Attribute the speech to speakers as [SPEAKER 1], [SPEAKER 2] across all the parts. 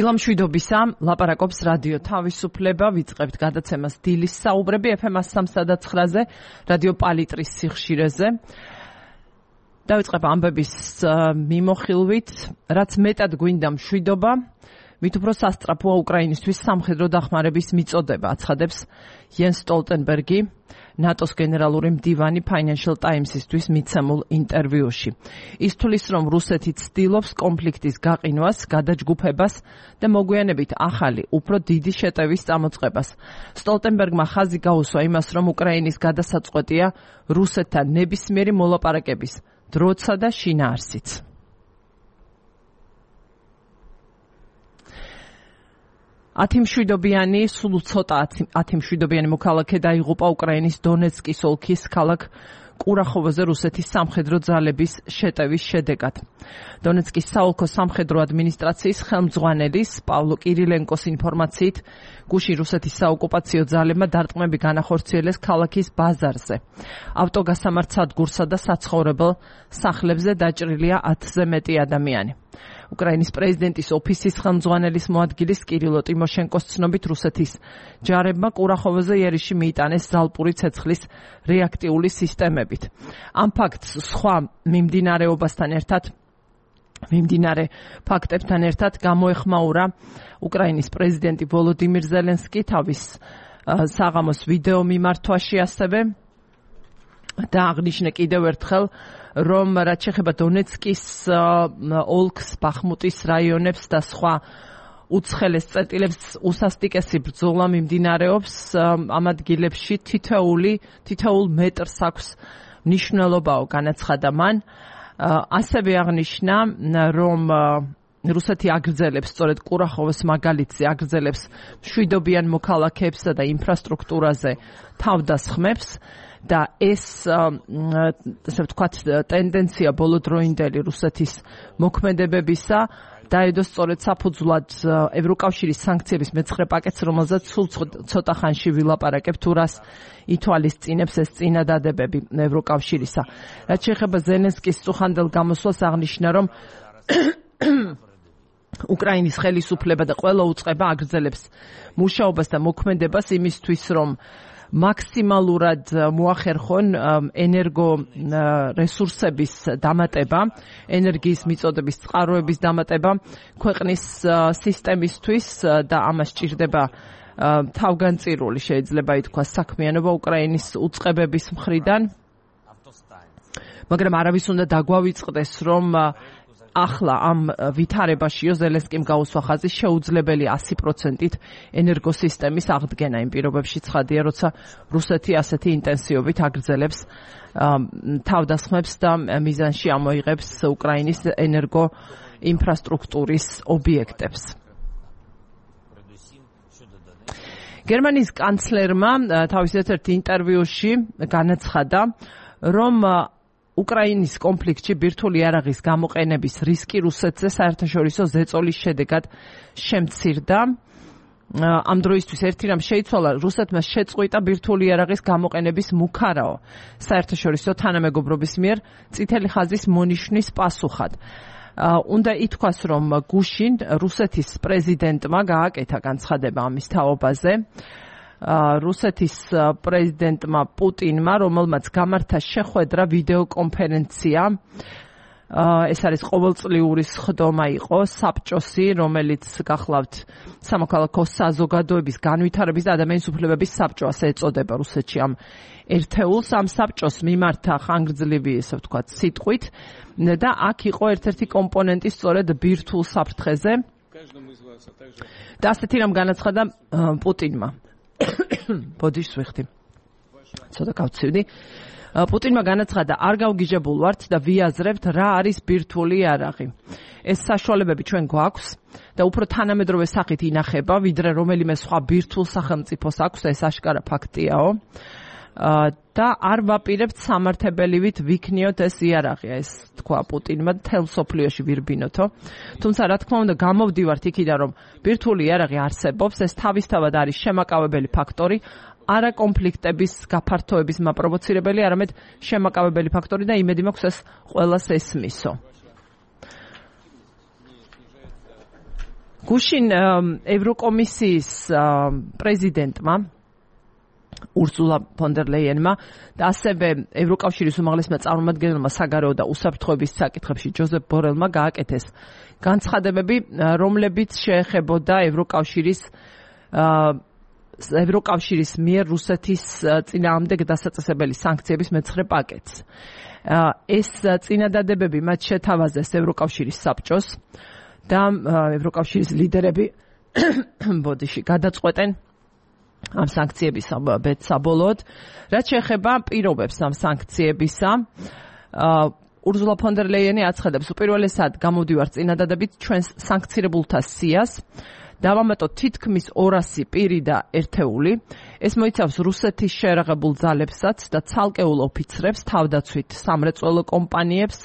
[SPEAKER 1] დილამშვიდობისა, ლაპარაკობს რადიო თავისუფლება, ვიწყებთ გადაცემას დილის საუბრები FM 103-ზე, რადიო პალიტრის სიხშირეზე. დავიწყებ ამბების მიმოხილვით, რაც მეტად გვინდა მშვიდობა, მით უფრო სასწრაფოა უკრაინისთვის სამხედრო დახმარების მიწოდება, აცხადებს იენს სტოლტენბერგი, ნატოს გენერალური მდივანი Financial Times-ისთვის მიცემულ ინტერვიუში. ის თვლის, რომ რუსეთი ცდილობს კონფლიქტის გაყინვას, გადაჯგუფებას და მოგვიანებით ახალი, უფრო დიდი შეტევის წამოწყებას. სტოლტენბერგმა ხაზი გაუსვა იმას, რომ უკრაინის გადასაწყვეტია რუსეთთან ნებისმიერი მოლაპარაკების დროცა და შინაარსიც. ათიმშვიდობიანი, სულ ცოტა ათიმშვიდობიანი მოქალაქე დაიღუპა უკრაინის დონეცკის ოლქის ქალაქ კურახოვოზე რუსეთის სამხედრო ძალების შეტევის შედეგად. დონეცკის საოლქო სამხედრო ადმინისტრაციის ხელმძღვანელის პავლო კირილენკოს ინფორმაციით, გუშინ რუსეთის საოკუპაციო ძალებმა დარტყმები განახორციელეს ქალაქის ბაზარზე. ავტოგასამართ სადგურსა და საცხოვრებელ სახლებზე დაჭრილია 10-ზე მეტი ადამიანი. უკრაინის პრეზიდენტის ოფისის ხელმძღვანელის მოადგილის კირილო ტიმოშენკოს ცნობით რუსეთის ჯარებმა კურახოვოზე იერიში მიიტანეს ზალპური ცეცხლის რეაქტიული სისტემებით. ამ ფაქტს სხვა მიმდინარე ფაქტებთან ერთად გამოეხმაურა უკრაინის პრეზიდენტი ვოლოდიმირ ზელენსკი თავის საღამოს ვიდეო მიმართვაში ასევე და აღნიშნა კიდევ ერთხელ, რომ რაც შეეხება დონეცკის ოლქს, ბახმუტის რაიონებს და სხვა უცხელეს წერტილებს უსასტიკესი ბრძოლა მიმდინარეობს ამ ადგილებში თითოეულ მეტრს აქვს მნიშვნელობაო განაცხადა მან. ასევე აღნიშნა, რომ რუსეთი აგრძელებს სწორედ კურახოვოს მაგალითზე აგრძელებს მშვიდობიან მოქალაქეებსა და ინფრასტრუქტურაზე თავდასხმებს და ეს ასე ვთქვათ ტენდენცია ბოლოდროინდელი რუსეთის მოქმედებებისა დაედო სწორედ საფუძვლად ევროკავშირის სანქციების მეცხრე პაკეტს, რომელზეც სულ ცოტა ხანში ვილაპარაკებ, თუ რას ითვალისწინებს ეს წინადადებები ევროკავშირისა. რაც შეეხება ზელენსკის წუხანდელ გამოსვლას, აღნიშნა, რომ უკრაინის ხელისუფლება და ყველა უწყება აგრძელებს მუშაობას და მოქმედებას იმისთვის, რომ მაქსიმალურად მოახერხონ ენერგო რესურსების დამატება, ენერგიის მიწოდების წყაროების დამატება ქვეყნის სისტემისთვის და ამას სჭირდება თავგანწირული შეიძლება ითქვას საქმიანობა უკრაინის უწყებების მხრიდან. მაგრამ არავის უნდა დაგვავიწყდეს, რომ ახლა ამ ვითარებაშიო ზელენსკიმ გაუსვა ხაზი შეუძლებელი 100%-ით ენერგოსისტემის აღდგენა იმ პირობებში ცხადია, როცა რუსეთი ასეთი ინტენსივობით აგრძელებს თავდასხმებს და მიზანში ამოიღებს უკრაინის ენერგო ინფრასტრუქტურის ობიექტებს. გერმანიის კანცლერმა თავის ერთ-ერთ ინტერვიუში განაცხადა, რომ უკრაინის კონფლიქტში ბირთვული იარაღის გამოყენების რისკი რუსეთზე საერთაშორისო ზეწოლის შედეგად შემცირდა. ამ დროისთვის ერთი რამ შეიცვალა, რუსეთმა შეწყვიტა ბირთვული იარაღის გამოყენების მუქარაო საერთაშორისო თანამეგობრობის მიერ წითელი ხაზის მონიშნის პასუხად. უნდა ითქვას, რომ გუშინ რუსეთის პრეზიდენტმა გააკეთა განცხადება ამის თაობაზე. რუსეთის პრეზიდენტმა პუტინმა, რომელმაც გამართა შეხვედრა ვიდეო კონფერენცია, ეს არის ყოველწლიური სხდომა იყო საბჭოსი, რომელიც გახლავთ სამოქალაქო საზოგადოების განვითარების და ადამიანის უფლებების საბჭო, ასე ეწოდება რუსეთში ამ ერთეულს. ამ საბჭოს მიმართა ხანგრძლივი, ესე ვთქვათ, სიტყვით და აქ იყო ერთ-ერთი კომპონენტი სწორედ ბირთვულ საფრთხეზე და ასეთი რამ განაცხადა პუტინმა. ბოდიშს ვიხდი. ცოტა გავცივდი. პუტინმა განაცხადა, არ გავგიჟებულ ვართ და ვიაზრებთ რა არის ბირთვული იარაღი. ეს საშუალებები ჩვენ გვაქვს და უფრო თანამედროვე სახით ინახება, ვიდრე რომელიმე სხვა ბირთვულ სახელმწიფოს აქვს და ეს აშკარა ფაქტიაო. და არ ვაპირებთ სამართებელივით ვიქნიოთ ეს იარაღი, ეს თქვა პუტინმა თელ სოფლიოში ვირბინოთო. თუმცა რა თქმა უნდა გამოვდივართ იქიდან, რომ ბირთვული იარაღი არსებობს, ეს თავისთავად არის შემაკავებელი ფაქტორი, არა კონფლიქტების გაფართოების მაპროვოცირებელი, არამედ შემაკავებელი ფაქტორი და იმედი მაქვს ეს ყველას ესმისო. გუშინ ევროკომისიის პრეზიდენტმა ურსულა ფონ დერ ლეიენმა და ასევე ევროკავშირის უმაღლესმა წარმომადგენელმა საგარეო და უსაფრთხოების საკითხებში ჯოზეფ ბორელმა გააკეთეს განცხადებები, რომლებიც შეეხებოდა ევროკავშირის მიერ რუსეთის წინააღმდეგ დასაწესებელი სანქციების მეცხრე პაკეტს. ეს წინადადებები მათ შეთავაზეს ევროკავშირის საბჭოს და ევროკავშირის ლიდერები გადაწყვეტენ ამ სანქციების საბოლოოდ. რაც შეეხება პირობებს ამ სანქციებისა, ურსულა ფონ დერ ლეიენი აცხადებს, უპირველესად გამოვდივართ წინადადებით ჩვენს სანქცირებულთა სიას, დავამატოთ თითქმის 200 პირი და ერთეული. ეს მოიცავს რუსეთის შეერაღებულ ძალებსაც და ცალკეულ ოფიცრებს, თავდაცვით სამრეწველო კომპანიებს,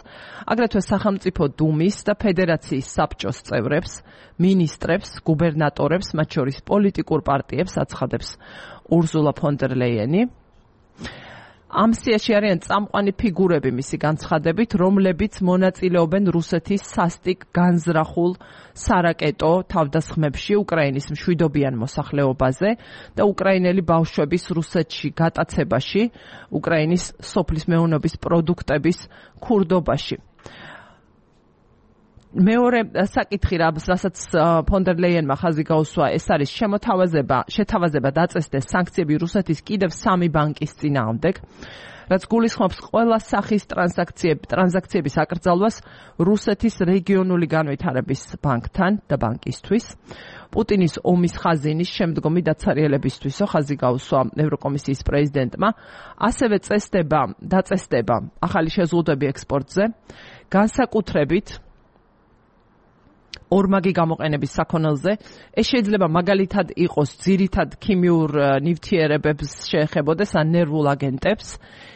[SPEAKER 1] აგრეთვე სახელმწიფო დუმის და ფედერაციის საბჭოს წევრებს, მინისტრებს, გუბერნატორებს, მათ შორის პოლიტიკურ პარტიებს აცხადებს ურსულა ფონ დერ ლეიენი. ამ სიაში არიან წამყვანი ფიგურები მისი განცხადებით, რომლებიც მონაწილეობენ რუსეთის სასტიკ განზრახულ სარაკეტო თავდასხმებში უკრაინის მშვიდობიან მოსახლეობაზე და უკრაინელი ბავშვების რუსეთში გატაცებაში, უკრაინის სოფლის მეურნეობის პროდუქტების ქურდობაში. მეორე საკითხი, რასაც ფონ დერ ლეიენმა ხაზი გაუსვა, ეს არის შეთავაზება დაწესდეს სანქციები რუსეთის კიდევ 3 ბანკის წინააღმდეგ, რაც გულისხმობს ყველა სახის ტრანზაქციების აკრძალვას რუსეთის რეგიონული განვითარების ბანკთან და ბანკისთვის. პუტინის ომის ხაზინის შემდგომი დაცარიელებისთვისო ხაზი გაუსვა ევროკომისიის პრეზიდენტმა, ასევე დაწესდება ახალი შეზღუდვები ექსპორტზე, განსაკუთრებით ორმაგი გამოყენების საქონელზე. ეს შეიძლება მაგალითად იყოს ძირითად ქიმიურ ნივთიერებებს შეეხებოდეს ან ნერვულ აგენტებს,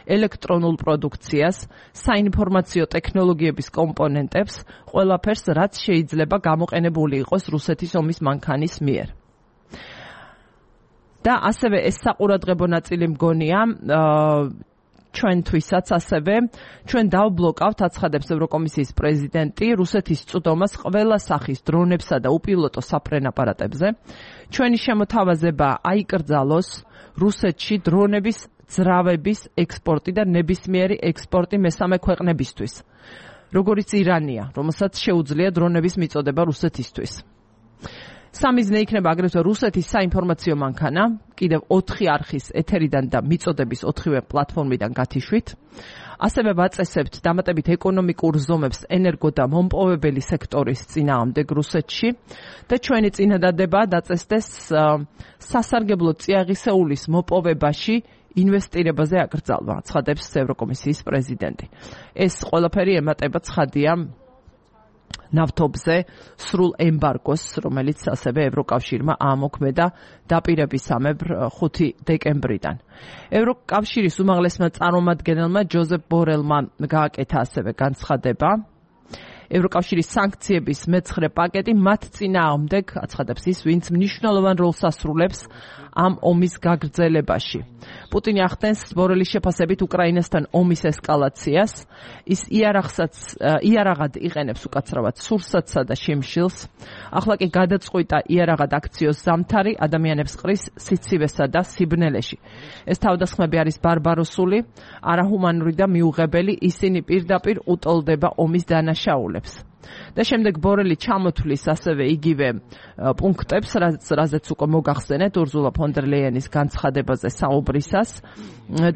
[SPEAKER 1] ელექტრონულ პროდუქციას, საინფორმაციო ტექნოლოგიების კომპონენტებს, ყველაფერს, რაც შეიძლება გამოყენებული იყოს რუსეთის ომის მანქანის მიერ. და ასევე ეს საყურადღებო ნაწილი მგონია ჩვენთვისაც ასევე ჩვენ დავბლოკავთ, აცხადებს ევროკომისიის პრეზიდენტი, რუსეთის წვდომას ყველა სახის დრონებსა და უპილოტო საფრენ აპარატებზე. ჩვენი შემოთავაზება აიკრძალოს რუსეთში დრონების ძრავების ექსპორტი და ნებისმიერი ექსპორტი მესამე ქვეყნებისთვის, როგორიც ირანია, რომელსაც შეუძლია დრონების მიწოდება რუსეთისთვის. სამიზნე იქნება აგრეთვე რუსეთის საინფორმაციო მანქანა, კიდევ 4 არხის ეთერიდან და მიწოდების 4-ვე პლატფორმიდან გათიშვით. ასევე ვაწესებთ დამატებით ეკონომიკურ ზომებს ენერგო და მომპოვებელი სექტორის წინააღმდეგ რუსეთში და ჩვენი წინადადება დაწესდეს სასარგებლო წიაღისეულის მოპოვებაში ინვესტირებაზე აკრძალვა, ცხადებს ევროკომისიის პრეზიდენტი. ეს ყველაფერი ემატება ცხადია ნავთობზე სრულ ემბარგოს, რომელიც ასევე ევროკავშირმა აამოქმედა დაპირებისამებრ 5 დეკემბრიდან. ევროკავშირის უმაღლესმა წარმომადგენელმა ჯოზეფ ბორელმა გააკეთა ასევე განცხადება. ევროკავშირის სანქციების მეცხრე პაკეტი მათ წინააღმდეგ, აცხადებს ის, ვინც მნიშვნელოვან როლს ასრულებს ამ ომის გაგრძელებაში. პუტინი ახდენს ბორელის შეფასებით უკრაინასთან ომის ესკალაციას, ის იარაღად იყენებს უკაცრავად სურსათსა და შიმშილს. ახლა კი გადაწყვიტა იარაღად აქციოს ზამთარი, ადამიანებს ყრის სიცივესა და სიბნელეში. ეს თავდასხმები არის ბარბაროსული, არაჰუმანური და მიუღებელი, ისინი პირდაპირ უტოლდება ომის დანაშაულებს. და შემდეგ ბორელი ჩამოთვლის ასევე იგივე პუნქტებს, რაზეც უკვე მოგახსენეთ ურსულა ფონ დერ ლეიენის განცხადებაზე საუბრისას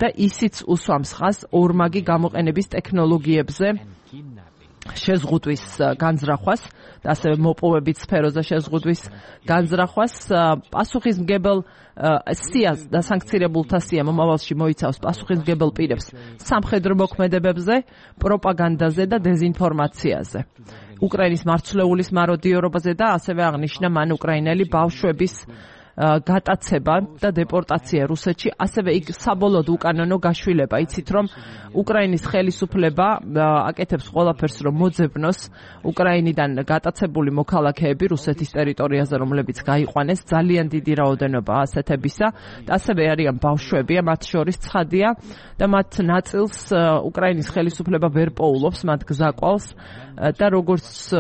[SPEAKER 1] და ისიც უსვამს ხაზს ორმაგი გამოყენების ტექნოლოგიებზე შეზღუდვის განზრახვას და ასევე მოპოვებით სფეროზე შეზღუდვის განზრახვას. პასუხისმგებელ სიას და სანქცირებულთა სია მომავალში მოიცავს პასუხისმგებელ პირებს სამხედრო მოქმედებებზე, პროპაგანდაზე და დეზინფორმაციაზე, უკრაინის მარცვლეულის მაროდიორობაზე და ასევე აღნიშნა მან უკრაინელი ბავშვების გატაცება და დეპორტაცია რუსეთში, ასევე იქ საბოლოოდ უკანონო გაშვილება. იცით რომ უკრაინის ხელისუფლება აკეთებს ყველაფერს რომ მოძებნოს უკრაინიდან გატაცებული მოქალაქეები რუსეთის ტერიტორიაზე, რომლებიც გაიყვანეს, ძალიან დიდი რაოდენობა ასეთებისა და ასევე არიან ბავშვები, მათ შორის ცხადია და მათ ნაწილს უკრაინის ხელისუფლება ვერ პოულობს, მათ გზაყვალს და როგორც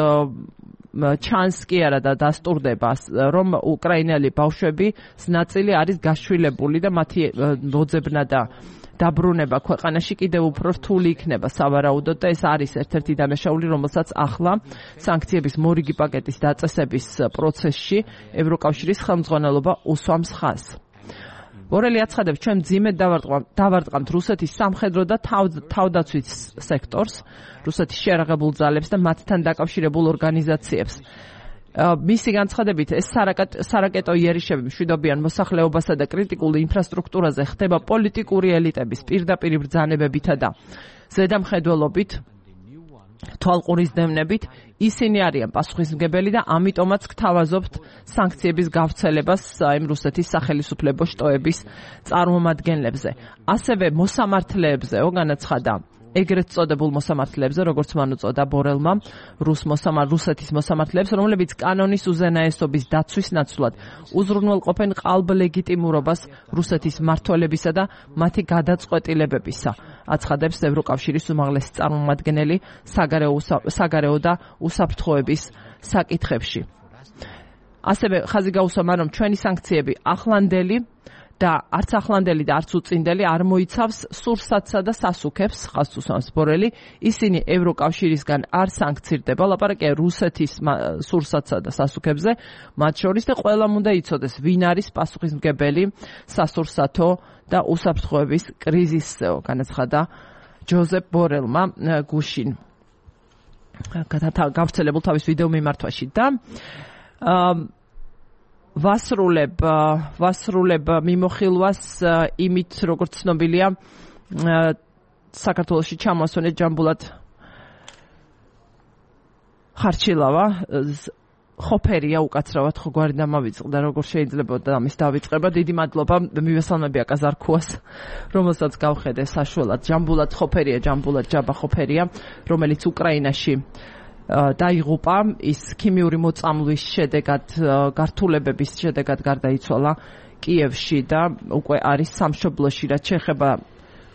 [SPEAKER 1] ჩანს კი არა და დასტურდება, რომ უკრაინელი ბავშვების ნაწილი არის გაშვილებული და მათი მოძებნა და დაბრუნება ქვეყანაში კიდევ უფრო რთული იქნება სავარაუდოდ და ეს არის ერთ-ერთი დანაშაული, რომელსაც ახლა სანქციების მორიგი პაკეტის დაწესების პროცესში ევროკავშირის ხელმძღვანელობა უსვამს ხაზს. ბორელი აცხადებს, ჩვენ მძიმედ დავარტყამთ რუსეთის სამხედრო და თავდაცვის სექტორს, რუსეთის შეიარაღებულ ძალებს და მათთან დაკავშირებულ ორგანიზაციებს. მისი განცხადებით, ეს სარაკეტო იერიშები მშვიდობიან მოსახლეობასა და კრიტიკულ ინფრასტრუქტურაზე ხდება პოლიტიკური ელიტების პირდაპირ ბრძანებებითა და ზედამხედველობით, თვალყურისდევნებით, ისინი არიან პასუხისმგებელი და ამიტომაც გთავაზობთ სანქციების გავრცელებას იმ რუსეთის სახელისუფლებო შტოების წარმომადგენლებზე. ასევე მოსამართლეებზეო განაცხადა, ეგრეთ წოდებულ მოსამართლეებზე, როგორც მან უწოდა ბორელმა, რუსეთის მოსამართლეებს, რომლებიც კანონის უზენაესობის დაცვის ნაცვლად უზრუნველყოფენ ყალბ ლეგიტიმურობას რუსეთის მმართველებისა და მათი გადაწყვეტილებებისა, აცხადებს ევროკავშირის უმაღლესი წარმომადგენელი საგარეო და უსაფრთხოების საკითხებში. ასევე ხაზი გაუსვა, რომ ჩვენი სანქციები ახლანდელი და არც ახლანდელი და არც უწინდელი არ მოიცავს სურსათსა და სასუქებს, ხაზს უსვამს ბორელი, ისინი ევროკავშირისგან არ სანქცირდება, ლაპარაკია რუსეთის სურსათსა და სასუქებზე, მათ შორის და ყველამ უნდა იცოდეს, ვინ არის პასუხისმგებელი სასურსათო და უსაფრთხოების კრიზისზეო, განაცხადა ჯოზეფ ბორელმა გუშინ გავრცელებულ თავის ვიდეო მიმართვაში და ვასრულებ მიმოხილვას იმით, როგორც ცნობილია, საქართველოში ჩამოსვენეთ ჯამბულად ხარჩილავა, ხოფერია უკაცრავად ხო გვარი დამავიწყდა, როგორ შეიძლება და ამის დავიწყება. დიდი მადლობა მივესალმები აკაზარქუას, რომელსაც გავხედე საშუალად. ჯამბულად ხოფერია, ჯამბულად ჯაბა ხოფერია, რომელიც უკრაინაში დაიღუპა, ის ქიმიური მოწამვლის შედეგად, გართულებების შედეგად გარდაიცვალა კიევში და უკვე არის სამშობლოში, რაც შეეხება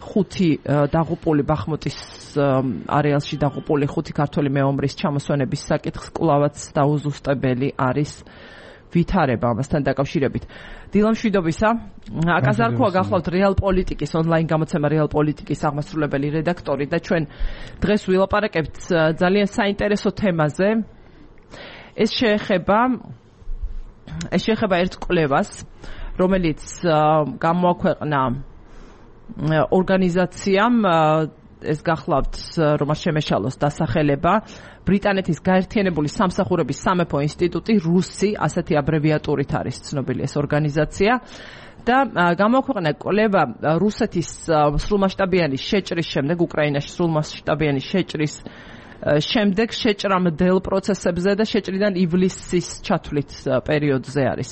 [SPEAKER 1] 5 დაღუპული ბახმუტის არეალში დაღუპული 5 ქართველი მეომრის ჩამოსვენების საკითხს კვლავაც დაუზუსტებელი არის ვითარება ამასთან დაკავშირებით. დილა მშვიდობისა. აკაზარქუა გახლავთ რეალ პოლიტიკის ონლაინ გამოცემა რეალ პოლიტიკის აღმასრულებელი რედაქტორი და ჩვენ დღეს ვილაპარაკებთ ძალიან საინტერესო თემაზე. ეს შეეხება ერთ კვლევას, რომელიც გამოაქვეყნა ორგანიზაციამ, ეს გახლავთ რომ შემეშალოს დასახელება, ბრიტანეთის გაერთიანებული სამსახურების სამეფო ინსტიტუტი, რუსი, ასეთი აბრევიატურით არის ცნობილი ეს ორგანიზაცია და გამოაქვეყნა კვლევა რუსეთის სრულმასშტაბიანი შეჭრის შემდეგ, უკრაინაში სრულმასშტაბიანი შეჭრის შემდეგ შეჭრამდელ პროცესებზე და შეჭრიდან ივლისის ჩათვლით პერიოდზე არის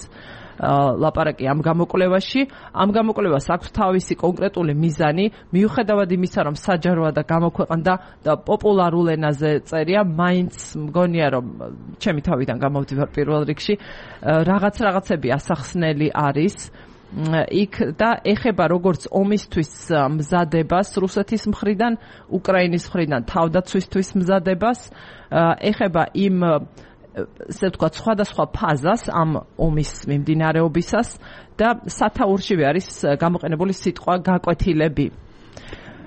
[SPEAKER 1] ლაპარაკი ამ გამოკვლევაში. ამ გამოკვლევას აქვს თავისი კონკრეტული მიზანი, მიუხედავად იმისა, რომ საჯაროა და გამოქვეყნდა და პოპულარულ ენაზე წერია, მაინც მგონია, რომ ჩემი თავიდან გამოვდივარ პირველ რიგში, რაღაცები ასახსნელი არის იქ და ეხება როგორც ომისთვის მზადებას რუსეთის მხრიდან, უკრაინის მხრიდან თავდაცვისთვის მზადებას, ეხება იმ ესე ვთქვათ, სხვადასხვა ფაზას ამ ომის მიმდინარეობისას და სათაურშივე არის გამოყენებული სიტყვა გაკვეთილები.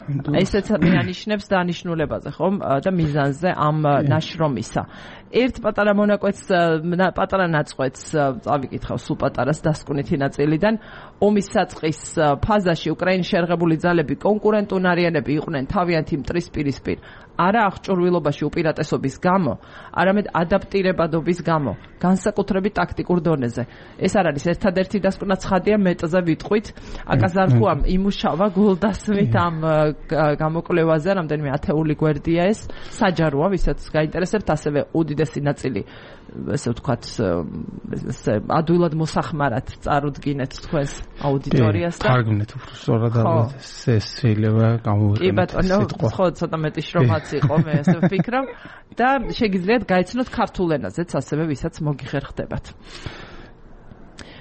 [SPEAKER 1] ესეც მეანიშნებს დანიშნულებაზე, ხომ, და მიზანზე ამ ნაშრომისა. ერთ პატარა მონაკვეთს, პატარა ნაწყვეტს წავიკითხავ, სულ პატარას დასკვნითი ნაწილიდან. ომის საწყის ფაზაში უკრაინის შეიარაღებული ძალები კონკურენტუნარიანები იყვნენ თავიანთი მტრის პირისპირ, არა აღჭურვილობაში უპირატესობის გამო, არამედ ადაპტირებადობის გამო, განსაკუთრებით ტაქტიკურ დონეზე. ეს არ არის ერთადერთი დასკვნა ცხადია, მეტზე ვიტყვით. აკაზარქუამ იმუშავა გულდასმით ამ გამოკვლევაზე, რამდენიმე ათეული გვერდია ეს, საჯაროა, ვისაც გაინტერესებთ, ასევე უდიდესი ნაწილი, ესე ვთქვათ, ადვილად მოსახმარად წარუდგინეთ თქვენს აუდიტორიას და
[SPEAKER 2] თარგმნეთ უფრო სწორად ეს შეიძლება გამოვიყენოთ.
[SPEAKER 1] კი ბატონო, ხო, ცოტა მეტი შრომაც იყო, მე ესე ვფიქრობ და შეგიძლიათ გაიცნოთ ქართულ ენაზეც, ასევე ვისაც მოგიხერხდებათ.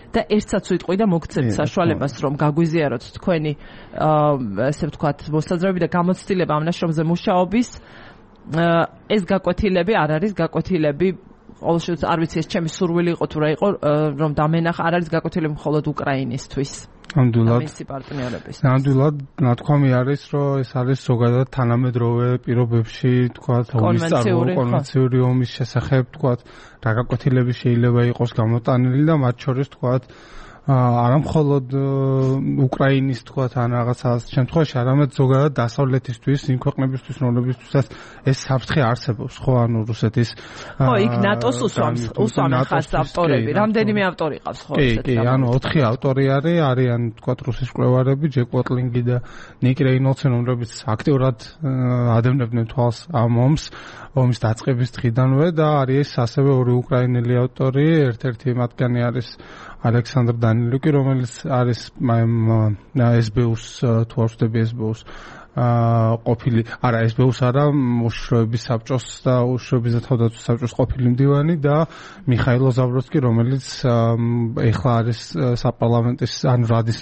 [SPEAKER 1] და ერთსაც ვიტყვი და მოგცემთ საშუალებას, რომ გაგვიზიაროთ თქვენი ესე ვთქვათ, მოსაზრებები და გამოცდილება ამ ნაშრომზე მუშაობის. ეს გაკვეთილები არ არის გაკვეთილები ყოველ შემთხვევაში არ ვიცი ეს ჩემი სურვილი იყო თუ რა იყო რომ დამენახა არ არის გაკვეთილები მხოლოდ უკრაინისთვის.
[SPEAKER 2] ნამდვილად ნათქვამი არის რომ ეს არის ზოგადად თანამედროვე პირობებში თქვა კონვენციური ომის შესახებ თქვა რა გაკვეთილები შეიძლება იყოს გამოტანილი და მათ შორის თქვა არა მხოლოდ უკრაინის თქვა ან რაღაცა შემთხვევაში არამედ ზოგადად დასავლეთისთვის იმ ქვეყნებისთვის რომლებისთვისაც ეს საფრთხე არსებობს ხო ანუ რუსეთის
[SPEAKER 1] ხო იქ ნატოს უსვამენ ხაზს ავტორები რამდენიმე ავტორი ყავს ხო
[SPEAKER 2] კი ანუ 4 ავტორი არიან თქვა რუსის მკვლევარები ჯეკ ვოტლინგი და ნიკ რეინოლდსი რომლებიც აქტიურად ადევნებდნენ თვალს ამ ომის დაწყების დღიდანვე და არის ასევე ორი უკრაინელი ავტორი ერთ-ერთი მათგანი არის ალექსანდრ დანილუკი რომელიც არის SBU-ს თუ არ ვწდები SBU-ს ყოფილი არა SBU-ს არა უშიშროების საბჭოს და უშიშროების და თავდაცვის საბჭოს ყოფილი მდივანი და მიხაილ ზაბროვსკი რომელიც ეხლა არის საპარლამენტის ან რადის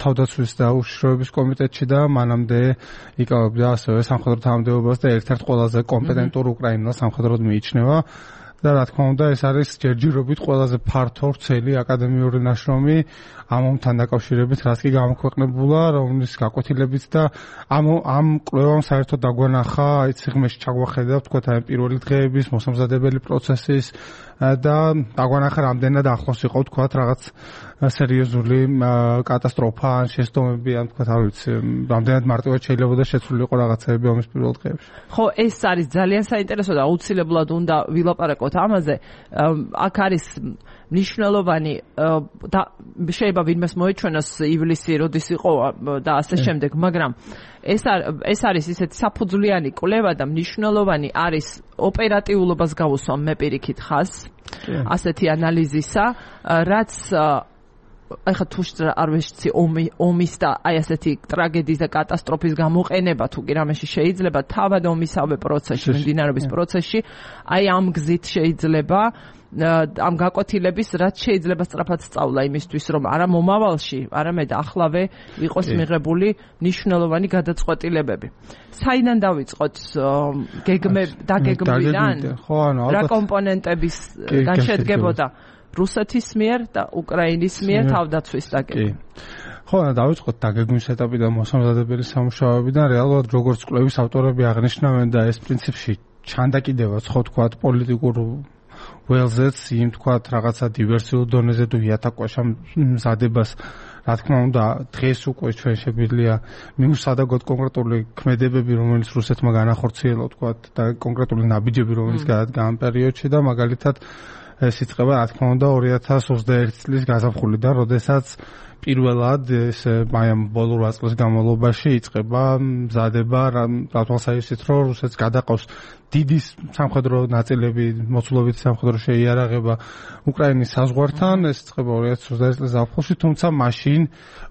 [SPEAKER 2] თავდაცვის და უშიშროების კომიტეტში და მანამდე იკავებდა ასევე სამხედრო თანამდებობას და ერთ-ერთ ყველაზე კომპეტენტურ უკრაინელს სამხედროდ მიიჩნევა და რა თქმა უნდა ეს არის ჯერჯერობით ყველაზე ფართო ვრცელი აკადემიური ნაშრომი ამ ომთან დაკავშირებით რაც კი გამოქვეყნებულა რომლის გაკვეთილებიც და ამ კვლევამ საერთოდ დაგვანახა აი ციხმეში ჩაგვახედა თქვა აი პირველი დღეების მოსამზადებელი პროცესის და დაგვანახა რამდენად ახლოს იყო თქვა რაღაც სერიოზული კატასტროფა ან შესტომები ან თქვა არ ვიცი რამდენად მარტივად შეიძლება შეცვლილიყო რაღაცები ომის პირველ დღეებში
[SPEAKER 1] ხო ეს არის ძალიან საინტერესო და აუცილებლად უნდა ვილაპარაკოთ ამაზე აქ არის მნიშვნელოვანი და შეიძლება ვინმეს მოეჩვენოს ივლისი როდის იყო და ასე შემდეგ მაგრამ ეს არის ისეთი საფუძვლიანი კვლევა და მნიშვნელოვანი არის ოპერატიულობას გავუსვამ მე პირიქით ხაზს ასეთი ანალიზისა რაც ახლა თუ არ ვიცი ომის და აი ასეთი ტრაგედიის და კატასტროფის გამოყენება თუ კი რამეში შეიძლება თავად ომისავე პროცესში მიმდინარეობის პროცესში აი ამ გზით შეიძლება ამ გაკვეთილების რაც შეიძლება სწრაფად სწავლა იმისთვის რომ არა მომავალში არამედ ახლავე იყოს მიღებული მნიშვნელოვანი გადაწყვეტილებები საიდან დავიწყოთ დაგეგმვიდან რა კომპონენტების განშედგებოდა რუსეთის მიერ და უკრაინის მიერ თავდაცვის დაგეგმვა.
[SPEAKER 2] ხო, დავიწყოთ დაგეგმვის ეტაპიდან მოსამზადებელი სამუშაოებიდან რეალურად როგორც კვლევის ავტორები აღნიშნავენ და ეს პრინციპში ჩანდაკიდებაც ხო თქვათ პოლიტიკურ ველზეც იმ თქვათ რაღაცა დივერსიულ დონეზე თუ იატაკვაშა მზადებას რა თქმა უნდა დღეს უკვე ჩვენ შეგვიძლია მიუსადაგოთ კონკრეტული ქმედებები რომელიც რუსეთმა განახორციელა თქვათ და კონკრეტული ნაბიჯები რომელიც გადადგა ამ პერიოდში და მაგალითად ეს იწყება რა თქმა უნდა 2021 წლის გაზაფხულიდან, როდესაც პირველად ეს მაიამ ბოლო 8 წლის განმავლობაში იწყება მზადება რატვალსაჩინო რომ რუსეთს გადაყავს დიდი სამხედრო ნაწილები, მოცულობითი სამხედრო შეიარაღება უკრაინის საზღვართან, ეს იწყება 2021 წლის ზაფხულში, თუმცა მაშინ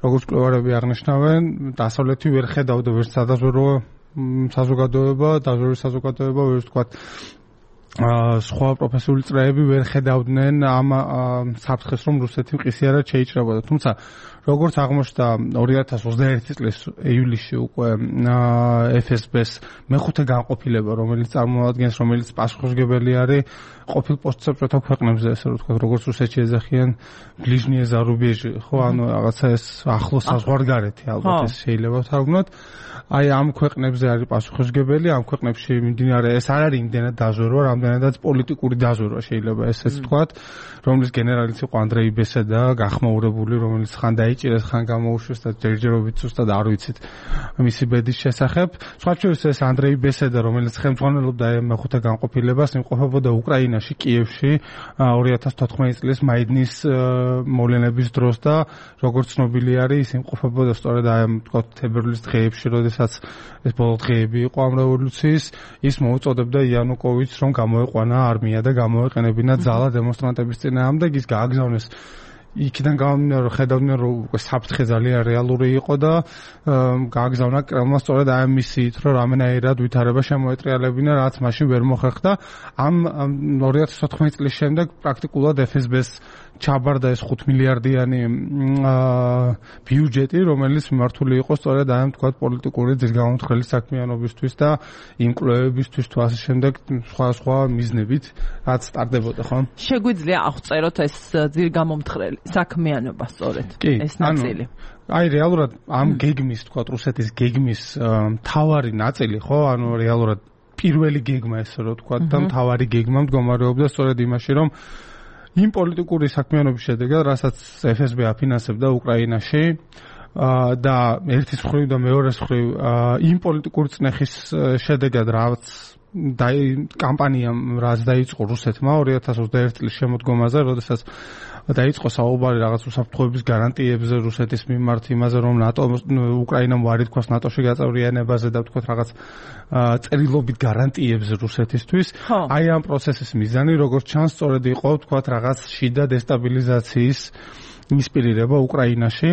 [SPEAKER 2] როგორც კვლევარები აღნიშნავენ, დასავლეთი ვერ ხედავდა ვერც სადაზვერო საზოგადოება, დაზვერვის საზოგადოება, ვერც თქვა სხვა პროფესიული წრეები ვერ ხედავდნენ ამ საფრთხეს რომ რუსეთი მყისიარად შეიჭრებოდა. თუმცა როგორც აღმოჩნდა 2021 წლის ივლისში უკვე FSB-ს მეხუთე განყოფილება რომელიც წარმოადგენს რომელიც პასუხისმგებელი არის ყოფილ პოსტსაბჭოთა ქვეყნებზე ესე რომ ვთქვათ როგორც რუსეთში ეძახიან ბლიჟნიე ზარუბეჟი ხო ანუ რაღაცა ეს ახლო საზღვარგარეთი ალბათ ეს შეიძლება ვთარგმნოთ აი ამ ქვეყნებზე არის პასუხისმგებელი ამ ქვეყნებში მიმდინარე ეს არ არის იმდენად დაზვერვა რამდენადაც პოლიტიკური დაზვერვა შეიძლება ესეც ვთქვათ რომლის გენერალიც იყო ანდრეი ბესედა გახმაურებული რომელიც ხან დაიჭირეს ხან გამოუშვეს და ჯერჯერობით ზუსტად არ ვიცით მისი ბედის შესახებ სხვა შორის ეს ანდრეი ბესედა რომელიც ხელმძღვანელობდა მეხუთე განყოფილებას იმყოფებოდა უკრაინაში კიევში 2014 წლის მაიდნის მოვლენების დროს და როგორც ცნობილი არის ის იმყოფებოდა სწორედ აი ვთქვათ თებერვლის დღეებში როდესაც ეს ბოლო დღეები იყო ამ რევოლუციის ის მოუწოდებდა იანუკოვიჩს რომ გამოეყვანა არმია და გამოეყენებინა ძალა დემონსტრანტების წინააღმდეგ ის გააგზავნეს იქიდან გამომდინარე რომ ხედავდნენ რომ საფრთხე ძალიან რეალური იყო და გააგზავნა კრემლმა სწორედ აი მისიით რომ რამენაირად ვითარება შემოეტრიალებინა რაც მაშინ ვერ მოხერხდა ამ 2014 წლის შემდეგ პრაქტიკულად FSB-ს ჩაბარდა ეს 5 მილიარდიანი ბიუჯეტი, რომელიც მიმართული იყო სწორედ ამ თქვა პოლიტიკური ძირგამომთხრელი საქმიანობისთვის და იმ კვლევებისთვის თუ ასე შემდეგ სხვა მიზნებით, რაც სტარდებოდა, ხო?
[SPEAKER 1] შეგვიძლია აღწეროთ ეს ძირგამომთხრელი საქმიანობა სწორედ ეს ნაწილი.
[SPEAKER 2] აი რეალურად ამ გეგმის, თქვა რუსეთის გეგმის მთავარი ნაწილი, ხო? ანუ რეალურად პირველი გეგმა ესე რომ თქვა და მთავარი გეგმა მდგომარეობდა სწორედ იმაში, რომ იმ პოლიტიკური საქმიანობის შედეგად, რასაც FSB აფინანსებდა უკრაინაში და ერთის მხრივ და მეორეს მხრივ იმ პოლიტიკური წნეხის შედეგად, რაც კამპანიამ რაც დაიწყო რუსეთმა 2021 წლის შემოდგომაზე, როდესაც დაიწყო საუბარი რაღაც უსაფრთხოების გარანტიებზე რუსეთის მიმართ, იმაზე რომ ნატო უკრაინამ ვარი თქვას ნატოში გაწევრიანებაზე და თქვა რაღაც წერილობით გარანტიებზე რუსეთისთვის. აი ამ პროცესის მიზანი როგორც ჩანს სწორედ იყო თქვა რაღაც შიდა დესტაბილიზაციის ინსპირირება უკრაინაში.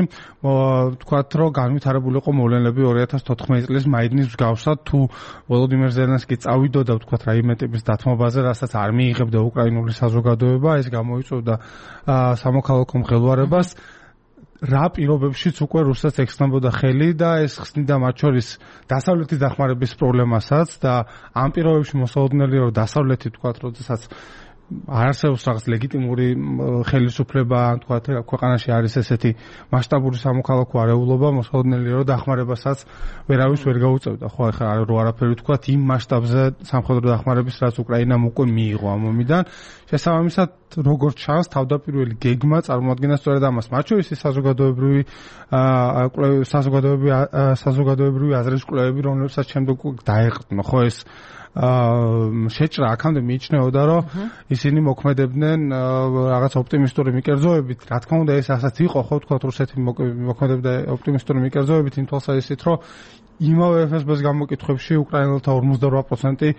[SPEAKER 2] თქვათ რომ განვითარებული იყო მოვლენები 2014 წლის მაიდნის მსგავსად, თუ ვოლოდიმირ ზელენსკი წავიდოდა თქვათ რაიმე ტიპის დათმობაზე, რასაც არ მიიღებდა უკრაინული საზოგადოება, ეს გამოიწვევდა სამოქალაქო მღელვარებას. რა პირობებშიც უკვე რუსეთს ექცნებოდა ხელი და ეს ხსნიდა მათ შორის დასავლეთის დახმარების პრობლემასაც და ამ პირობებში მოსაოდნელია რომ დასავლეთი თქვათ როდესაც არასდროს რაღაც ლეგიტიმური ხელისუფლება თქვა ქვეყანაში არის ესეთი მასშტაბური სამოქალაქო არეულობა, მოსაოდნელია რომ დახმარებასაც ვერავის ვერ გაუწევდა. ხო ახლა რო არაფერი თქვა იმ მასშტაბზე სამხედრო დახმარების რაც უკრაინამ უკვე მიიღო ამ ომიდან. შესაბამისად როგორც ჩანს თავდაპირველი გეგმა წარმოადგენდა სწორედ ამას. მათ შორის საზოგადოებრივი აზრის კვლევები, რომლებსაც შემდეგ დაეყრდნო, ხო ეს შეჭრა აქამდე მიიჩნეოდა, რომ ისინი მოქმედებდნენ რაღაც ოპტიმისტური მიკერძოებით. რა თქმა უნდა, ეს ასაც იყო, ხო, თქვა რუსეთი მოქმედებდა ოპტიმისტური მიკერძოებით იმ თვალსაზრისით, რომ იმავე FSB-ს გამოკითხვებში უკრაინელთა 58%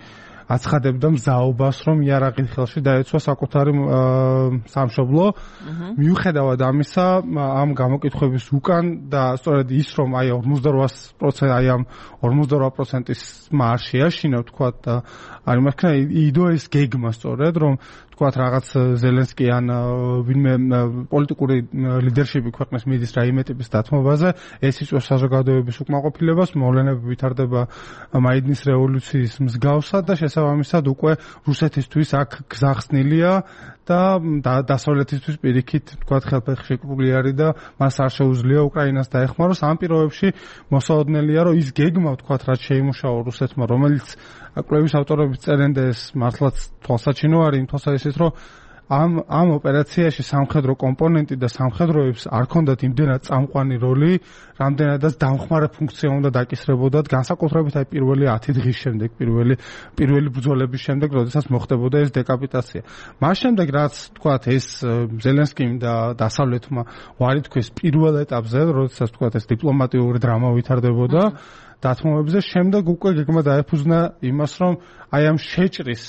[SPEAKER 2] აცხადებდა მზაობას, რომ იარაღით ხელში დაეცვა საკუთარი სამშობლო. მიუხედავად ამისა, ამ გამოკითხვების უკან და სწორედ ის, რომ აი 48% აი ამ 48%-ის არ შეაშინა, თქვა და არ იმაქნა იდო ეს გეგმა სწორედ, რომ თქვათ რაღაც ზელენსკი ან ვინმე პოლიტიკური ლიდერშიპი ქვეყნის მიდის რაიმე ტიპის დათმობაზე, ეს იწვევს საზოგადოების უკმაყოფილებას, მოვლენები ვითარდება მაიდნის რევოლუციის მსგავსად და შესაბამისად უკვე რუსეთისთვის აქ გზახსნილია და დასავლეთისთვის პირიქით თქვათ ხელფეხშეკრული არის და მას არ შეუძლია უკრაინას დაეხმაროს. ამ პირობებში მოსაოდნელია რომ ის გეგმა თქვათ რაც შეიმუშავა რუსეთმა, რომელიც კვლევის ავტორები წერენ და ეს მართლაც თვალსაჩინო არის იმ თვალსაზრისით, რომ ამ ოპერაციაში სამხედრო კომპონენტი და სამხედროებს არ ქონდათ იმდენად წამყვანი როლი, რამდენადაც დამხმარე ფუნქცია უნდა დაკისრებოდათ, განსაკუთრებით აი პირველი 10 დღის შემდეგ, პირველი ბრძოლების შემდეგ, როდესაც მოხდებოდა ეს დეკაპიტაცია. მას შემდეგ რაც თქვათ ეს ზელენსკიმ და დასავლეთმა ვარი თქვეს პირველ ეტაპზე, როდესაც თქვათ ეს დიპლომატიური დრამა ვითარდებოდა დათმობებზე, შემდეგ უკვე გეგმა დაეფუძნა იმას, რომ აი ამ შეჭრის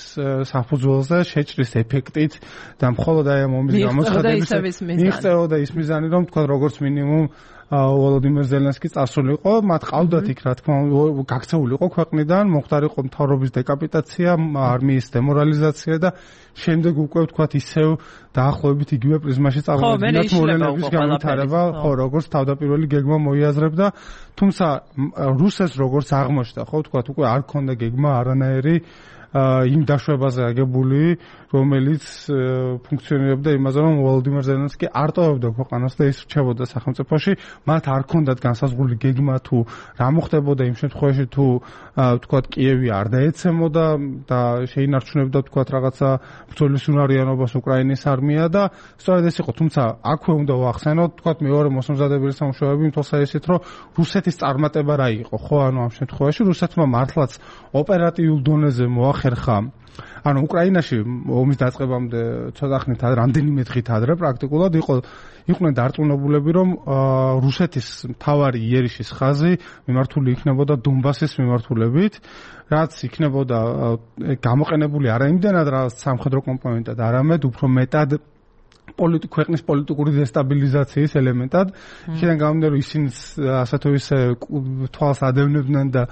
[SPEAKER 2] საფუძველზე, შეჭრის ეფექტით და მხოლოდ აი ამ ომის გამოცხადების მიიღწეოდა ის მიზანი, რომ თქვა როგორც მინიმუმ ვოლოდიმირ ზელენსკი წასულიყო, მათ ყავდათ იქ რა თქმა უნდა გაქცეულიყო ქვეყნიდან, მოხდარიყო მთავრობის დეკაპიტაცია, არმიის დემორალიზაცია და შემდეგ უკვე ვთქვათ ისევ დაახლოებით იგივე პრიზმაში წარმოადგენდა მოვლენების განვითარება, ხო, როგორც თავდაპირველი გეგმა მოიაზრებდა, თუმცა რუსეთს როგორც აღმოჩნდა, ხო, ვთქვათ უკვე არ ქონდა გეგმა არანაირი იმ დაშვებაზე აგებული, რომელიც ფუნქციონირებდა იმაზე, რომ ვოლოდიმირ ზელენსკი არ ტოვებდა ქვეყანას და ის რჩებოდა სახელმწიფოში, მათ არ ქონდათ განსაზღვრული გეგმა თუ რა მოხდებოდა იმ შემთხვევაში თუ ვთქვათ კიევი არ დაეცემოდა და შეინარჩუნებდა ვთქვათ რაღაცა ბრძოლის უნარიანობას უკრაინის არმია და სწორედ ეს იყო, თუმცა აქვე უნდა ვახსენოთ, ვთქვათ მეორე მოსამზადებელი სამუშაოები იმ თვალსაზრისით, რომ რუსეთის წარმატება რა იყო, ხო, ანუ ამ შემთხვევაში რუსეთმა მართლაც ოპერატიულ დონეზე მოახერხა ანუ უკრაინაში ომის დაწყებამდე ცოტა ხნით რამდენიმე დღით ადრე პრაქტიკულად იყვნენ დარწმუნებულები, რომ რუსეთის მთავარი იერიშის ხაზი მიმართული იქნებოდა დონბასის მიმართულებით, რაც იქნებოდა გამოყენებული არა იმდენად რა სამხედრო კომპონენტად, არამედ უფრო მეტად ქვეყნის პოლიტიკური დესტაბილიზაციის ელემენტად. იქიდან გამომდინარე რომ ისინი ასე თუ ისე თვალს ადევნებდნენ და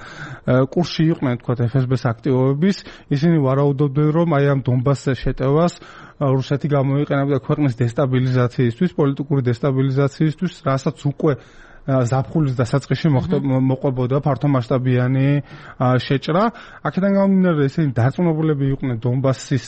[SPEAKER 2] კურსში იყვნენ თქვა FSB-ს აქტივობების, ისინი ვარაუდობდნენ რომ აი ამ დონბასზე შეტევას რუსეთი გამოიყენებდა ქვეყნის დესტაბილიზაციისთვის, პოლიტიკური დესტაბილიზაციისთვის, რასაც უკვე ზაფხულის დასაწყისში მოყვებოდა ფართომასშტაბიანი შეჭრა. აქედან გამომდინარე ესენი დარწმუნებულები იყვნენ დონბასის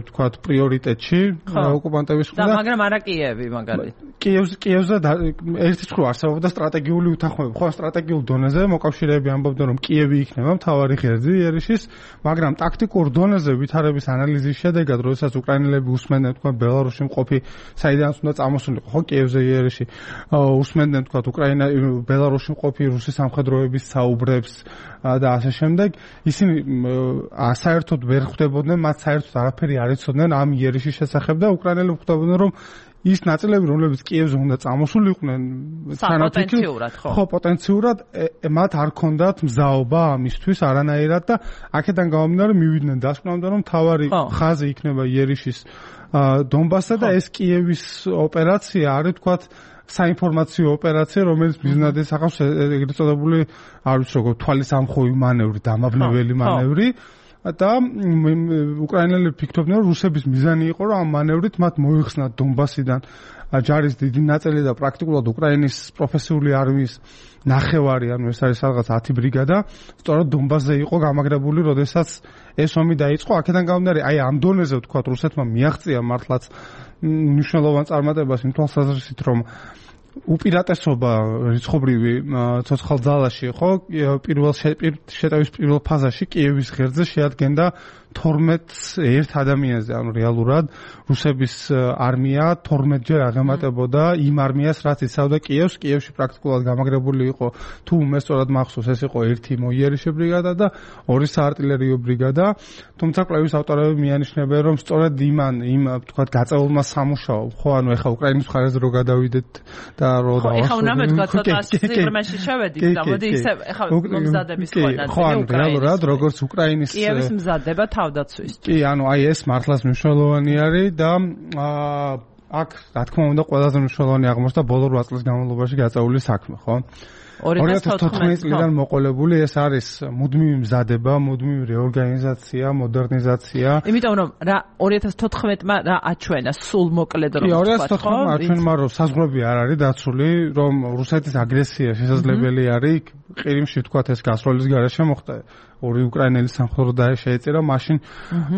[SPEAKER 2] თქვათ პრიორიტეტში ოკუპანტების მხრიდან.
[SPEAKER 1] მაგრამ არა კიევი მაგალითად.
[SPEAKER 2] კიევზე ერთი მხრივ არსებობდა სტრატეგიული უთანხმოება. ხო, სტრატეგიულ დონეზე მოკავშირეები ამბობდნენ რომ კიევი იქნება მთავარი ღერძი ერიშის, მაგრამ ტაქტიკურ დონეზე ვითარების ანალიზის შედეგად, როდესაც უკრაინელები უსმენდნენ თქვათ ბელარუსში მყოფი საიდანაც უნდა წამოსულიყო, ხო, კიევზე ერიში უსმენდნენ თქვათ უკრაინა ბელარუსში მყოფი რუსი სამხედროების საუბრებს და ასე შემდეგ, ისინი საერთოდ ვერ ხვდებოდნენ, მათ საერთოდ არაფერი არ იცოდნენ ამ იერიშის შესახებ და უკრაინელები ხვდებოდნენ რომ ის ნაწილები, რომლებიც კიევზე უნდა წამოსულიყვნენ,
[SPEAKER 1] პოტენციურად,
[SPEAKER 2] ხო, პოტენციურად მათ არ ქონდათ მზაობა ამისთვის არანაირად და აქედან გამომდინარე მივიდნენ დასკვნამდე, რომ თავარი ხაზი იქნება იერიშის დონბასსა და ეს კიევის ოპერაცია არის თქვათ საინფორმაციო ოპერაცია, რომელიც მიზნად ეხავს ეგრეთ წოდებული, არ ვიცი როგორ თვალის ამხოვი მანევრი, დამაბნეველი მანევრი და უკრაინელები ფიქრობდნენ, რომ რუსების მიზანი იყო, რომ ამ მანევრით მათ მოიხსნათ დონბასიდან ჯარის დიდი ნაწილი და პრაქტიკულად უკრაინის პროფესიული არმიის ნახევარი, ანუ ეს არის რაღაც 10 ბრიგადა, სწორედ დონბასზე იყო გამაგრებული, როდესაც ეს ომი დაიწყო. აქედან გამომდინარე, აი ამ დონეზე ვთქვათ, რუსეთმა მიაღწია მართლაც მნიშვნელოვან წარმატებას იმ თვალსაზრისით, რომ უპირატესობა რიცხობრივი ცოცხალ ძალაში, ხო, პირველ შეტევის პირველ ფაზაში კიევის ღერძზე შეადგენდა 12 ერთ ადამიანზე, ანუ რეალურად რუსების არმია 12-ჯერ აღემატებოდა იმ არმიას, რაც იცავდა კიევს. კიევში პრაქტიკულად გამაგრებული იყო, თუ უმესწორად მახსოვს, ეს იყო ერთი მოიერიშე ბრიგადა და ორი საარტილერიო ბრიგადა. თუმცა კვლევის ავტორები მიანიშნებენ, რომ სწორედ იმ თქვათ გაწეულმა სამუშაო, ხო, ანუ ეხა უკრაინის მხარეზე რო გადავიდეთ და რო
[SPEAKER 1] დავასრულოთ. ეხა უნდა მეთქვა ცოტა სიღრმეში შევედით და მოდი ისე ეხა მომზადების ხონა.
[SPEAKER 2] ხო, ანუ რეალურად როგორც უკრაინის
[SPEAKER 1] კიევის მზადება თავდაცვის.
[SPEAKER 2] კი, ანუ აი ეს მართლაც მნიშვნელოვანი არის და აქ რა თქმა უნდა ყველაზე მნიშვნელოვანი აღმოჩნდა ბოლო 8 წლის განმავლობაში გაწეული საქმე, ხო? 2014 წლიდან მოყოლებული ეს არის მუდმივი მზადება, მუდმივი რეორგანიზაცია, მოდერნიზაცია.
[SPEAKER 1] იმიტომ რომ რა 2014-მა რა აჩვენა სულ მოკლედ რომ
[SPEAKER 2] ვთქვათ, ხო? 2014-მა აჩვენა რომ საზღვრები არ არის დაცული, რომ რუსეთის აგრესია შესაძლებელი არის, ყირიმში ვთქვათ ეს გასროლის გარეშე მოხდა. ორი უკრაინელი სამხედრო შეეწირა მაშინ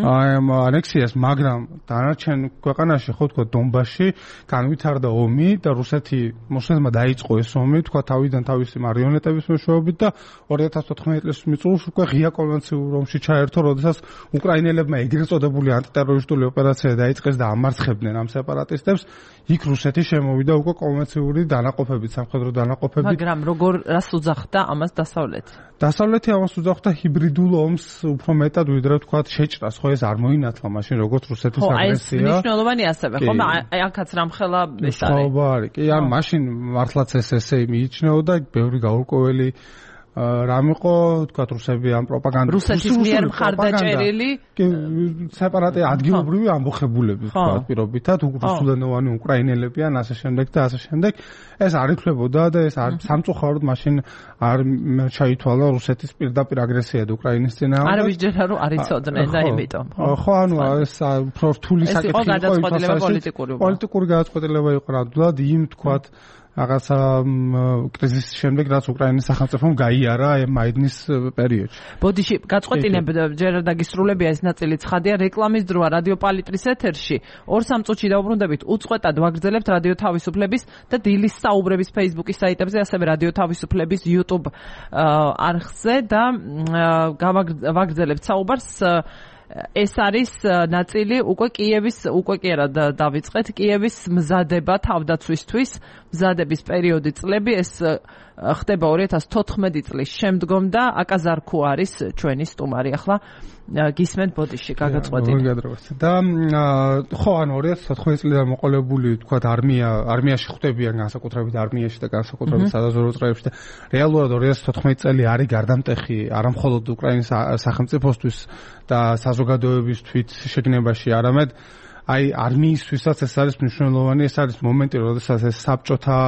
[SPEAKER 2] ანექსიას, მაგრამ დანარჩენ ქვეყანაში, ხო ვთქვათ, დონბასში განვითარდა ომი და რუსეთმა დაიწყო ეს ომი, ვთქვათ, თავიდან თავისი მარიონეტების მეშვეობით და 2014 წელს უკვე ღია კონვენციურ ომში ჩაერთო, როდესაც უკრაინელებმა ეგრეთ წოდებული ანტიტერორისტული ოპერაცია დაიწყეს და ამარცხებდნენ ამ სეპარატისტებს. იქ რუსეთი შემოვიდა უკვე კონვენციური დანაყოფებით, სამხედრო დანაყოფებით.
[SPEAKER 1] მაგრამ როგორ რას უძახდა ამას დასავლეთი?
[SPEAKER 2] დასავლეთი ამას უძახდა ჰიბრიდულ ომს უფრო მეტად, ვიდრე ვთქვათ შეჭრას, ხო ეს არ მოინათლა მაშინ როგორც რუსეთის აგრესია.
[SPEAKER 1] ხო, ეს მნიშვნელოვანი ასევე, ხო, აი აქაც რამხელა ეს არის.
[SPEAKER 2] ხო, არის. კი, ან მაშინ მართლაც ესე მიიჩნეოდა, ბევრი გაურკვეველი რამ იყო, თქვათ, რუსები ამ პროპაგანდა
[SPEAKER 1] რუსეთის მიერ მხარდაჭერილი
[SPEAKER 2] სეპარატი ადგილობრივი ამბოხებულები, თქვათ, პირობითად რუსულენოვანი უკრაინელები ან ასე შემდეგ და ასე შემდეგ. ეს არ ითვლებოდა და ეს სამწუხაროდ მაშინ არ ჩაითვალა რუსეთის პირდაპირ აგრესიად უკრაინის წინააღმდეგ.
[SPEAKER 1] არ ვიცით რომ არ იცოდნენ და იმიტომ.
[SPEAKER 2] ხო, ანუ ეს უფრო რთული საკითხი იყო, პოლიტიკური გადაწყვეტილება იყო ნამდვილად იმ თქვათ რაღაცა კრიზისის შემდეგ, რაც უკრაინის სახელმწიფომ გაიარა მაიდნის პერიოდში.
[SPEAKER 1] ბოდიში, გაწყვეტინებ ჯერ დაგისრულებია ეს ნაწილი ცხადია, რეკლამის დროა რადიო პალიტრის ეთერში. 2-3 წუთში დავუბრუნდებით, უწყვეტად ვაგრძელებთ რადიო თავისუფლების და დილის საუბრების Facebook-ის საიტებზე, ასევე რადიო თავისუფლების YouTube არხზე და ვაგრძელებთ საუბარს. ეს არის ნაწილი უკვე კიევის, უკვე კი არა დავიწყეთ, კიევის მზადება თავდაცვისთვის, მზადების პერიოდი წლები, ეს ხდება 2014 წლის შემდგომ და აკაზარქუ არის ჩვენი სტუმარი. ახლა გისმენთ ბოდიში, გაგაწყვეტინე.
[SPEAKER 2] და ხო, ანუ 2014 წლიდან მოყოლებული, თქვათ, არმიაში ხვდებიან განსაკუთრებით არმიაში და განსაკუთრებით სადაზვერვო წრეებში და რეალურად 2014 წელი არის გარდამტეხი არა მხოლოდ უკრაინის სახელმწიფოსთვის და საზოგადოებისთვის შეგნებაში, არამედ აი არმიისთვისაც ეს არის მნიშვნელოვანი, ეს არის მომენტი, როდესაც ეს საბჭოთა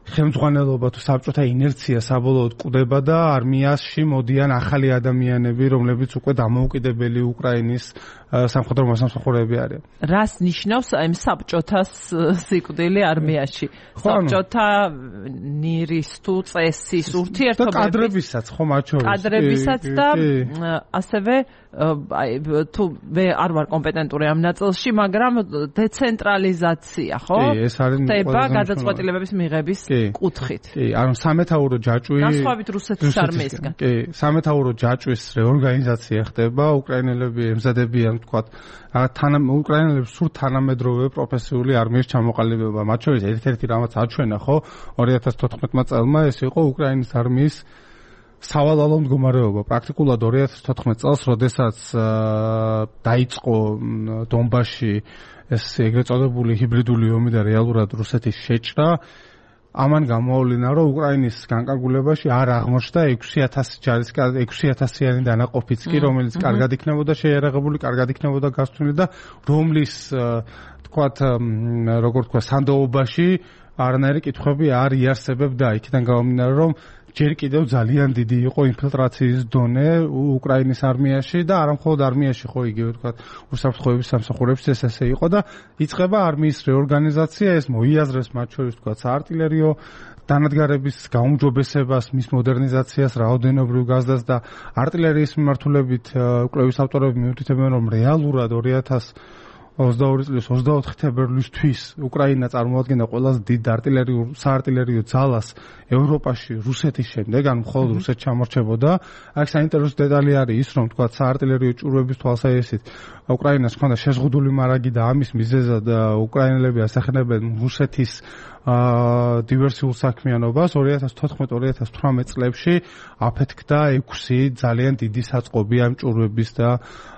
[SPEAKER 2] ხელმძღვანელობა თუ საბჭოთა ინერცია საბოლოოდ კვდება და არმიაში მოდიან ახალი ადამიანები, რომლებიც უკვე დამოუკიდებელი უკრაინის სამხედრო მოსამსახურეები არიან.
[SPEAKER 1] რას ნიშნავს აი საბჭოთას სიკვდილი არმიაში? საბჭოთა ნირის თუ წესის ურთიერთობები
[SPEAKER 2] და კადრებისაც ხო მათ შორის.
[SPEAKER 1] კადრებისაც და ასევე აი თუ მე არ ვარ კომპეტენტური ამ ნაწილში, მაგრამ დეცენტრალიზაცია, ხო?
[SPEAKER 2] კი, ეს არის
[SPEAKER 1] ხდება გადაწყვეტილებების მიღების კუთხით.
[SPEAKER 2] კი, ანუ სამეთაურო ჯაჭვი
[SPEAKER 1] განსხვავებით რუსეთის არმიისგან.
[SPEAKER 2] კი, სამეთაურო ჯაჭვის რეორგანიზაცია ხდება, უკრაინელები ემზადებიან, თქვათ, უკრაინელებს სულ თანამედროვე პროფესიული არმიის ჩამოყალიბება. მათ შორის ერთ-ერთი რამაც აჩვენა, ხო, 2014 წელმა ეს იყო უკრაინის არმიის სავალალო მდგომარეობა. პრაქტიკულად 2014 წელს, როდესაც დაიწყო დონბასში ეს ეგრეთ წოდებული ჰიბრიდული ომი და რეალურად რუსეთის შეჭრა, ამან გამოავლინა, რომ უკრაინის განკარგულებაში არ აღმოჩნდა 6000-იანი დანაყოფიც კი, რომელიც კარგად იქნებოდა შეიარაღებული, კარგად იქნებოდა გასწვილი და რომლის თქვათ, როგორ თქვა, სანდოობაში არანაირი კითხვები არ იარსებებდა. იქიდან გამომდინარე, რომ ჯერ კიდევ ძალიან დიდი იყო ინფილტრაციის დონე უკრაინის არმიაში და არა მხოლოდ არმიაში, ხო, იგივე თქვა, უსაფრთხოების სამსახურებში ესე იყო და იწყება არმიის რეორგანიზაცია, ეს მოიაზრებს მათ შორის თქვა საარტილერიო დანადგარების გაუმჯობესებას, მის მოდერნიზაციას, რაოდენობრივ გაზრდას და არტილერიის მიმართულებით კვლევის ავტორები მიუთითებენ, რომ რეალურად 2022 წლის 24 თებერვლისთვის უკრაინა წარმოადგენდა ყველაზე დიდ საარტილერიო ძალას ევროპაში რუსეთის შემდეგ, ანუ მხოლოდ რუსეთს ჩამორჩებოდა. აქ საინტერესო დეტალი არის ის, რომ თქვა საარტილერიო ჭურვების თვალსაჩინით უკრაინას ჰქონდა შეზღუდული მარაგი და ამის მიზეზად უკრაინელები ასახებენ რუსეთის დივერსიულ საქმიანობას. 2014-2018 წლებში აფეთქდა 6 ძალიან დიდი საწყობი ამ ჭურვების და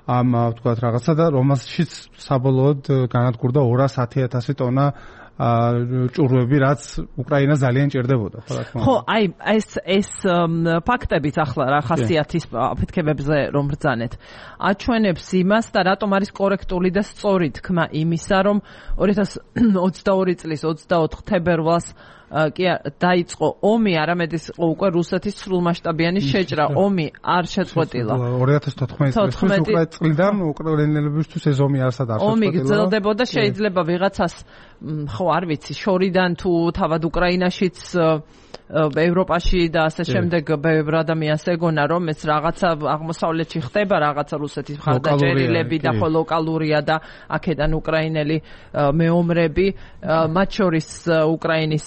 [SPEAKER 2] ამ თქვა რაღაცა და რომელშიც საბოლოოდ განადგურდა 210,000 ტონა ჭურვები, რაც უკრაინას ძალიან ჭირდებოდა, ხო რა თქმა უნდა.
[SPEAKER 1] ხო, აი ეს ფაქტებიც ახლა რა ხასიათის აფეთქებებზე რომ ბრძანეთ, აჩვენებს იმას და რატომ არის კორექტული და სწორი თქმა იმისა, რომ 2022 წლის 24 თებერვალს კი დაიწყო ომი, არამედ ის იყო უკვე რუსეთის სრულმასშტაბიანი შეჭრა. ომი არ შეწყვეტილა.
[SPEAKER 2] 2014 წლიდან უკრაინელებისთვის ეს ომი არსად არ შეწყვეტილა.
[SPEAKER 1] ომი გრძელდებოდა, შეიძლება ვიღაცას ხო არ ვიცი, შორიდან თუ თავად უკრაინაშიც ევროპაში და ასე შემდეგ ბევრ ადამიანს ეგონა, რომ ეს რაღაცა აღმოსავლეთში ხდება, რაღაცა რუსეთის მხარდაჭერილები და ხო ლოკალურია და აქედან უკრაინელი მეომრები, მათ შორის უკრაინის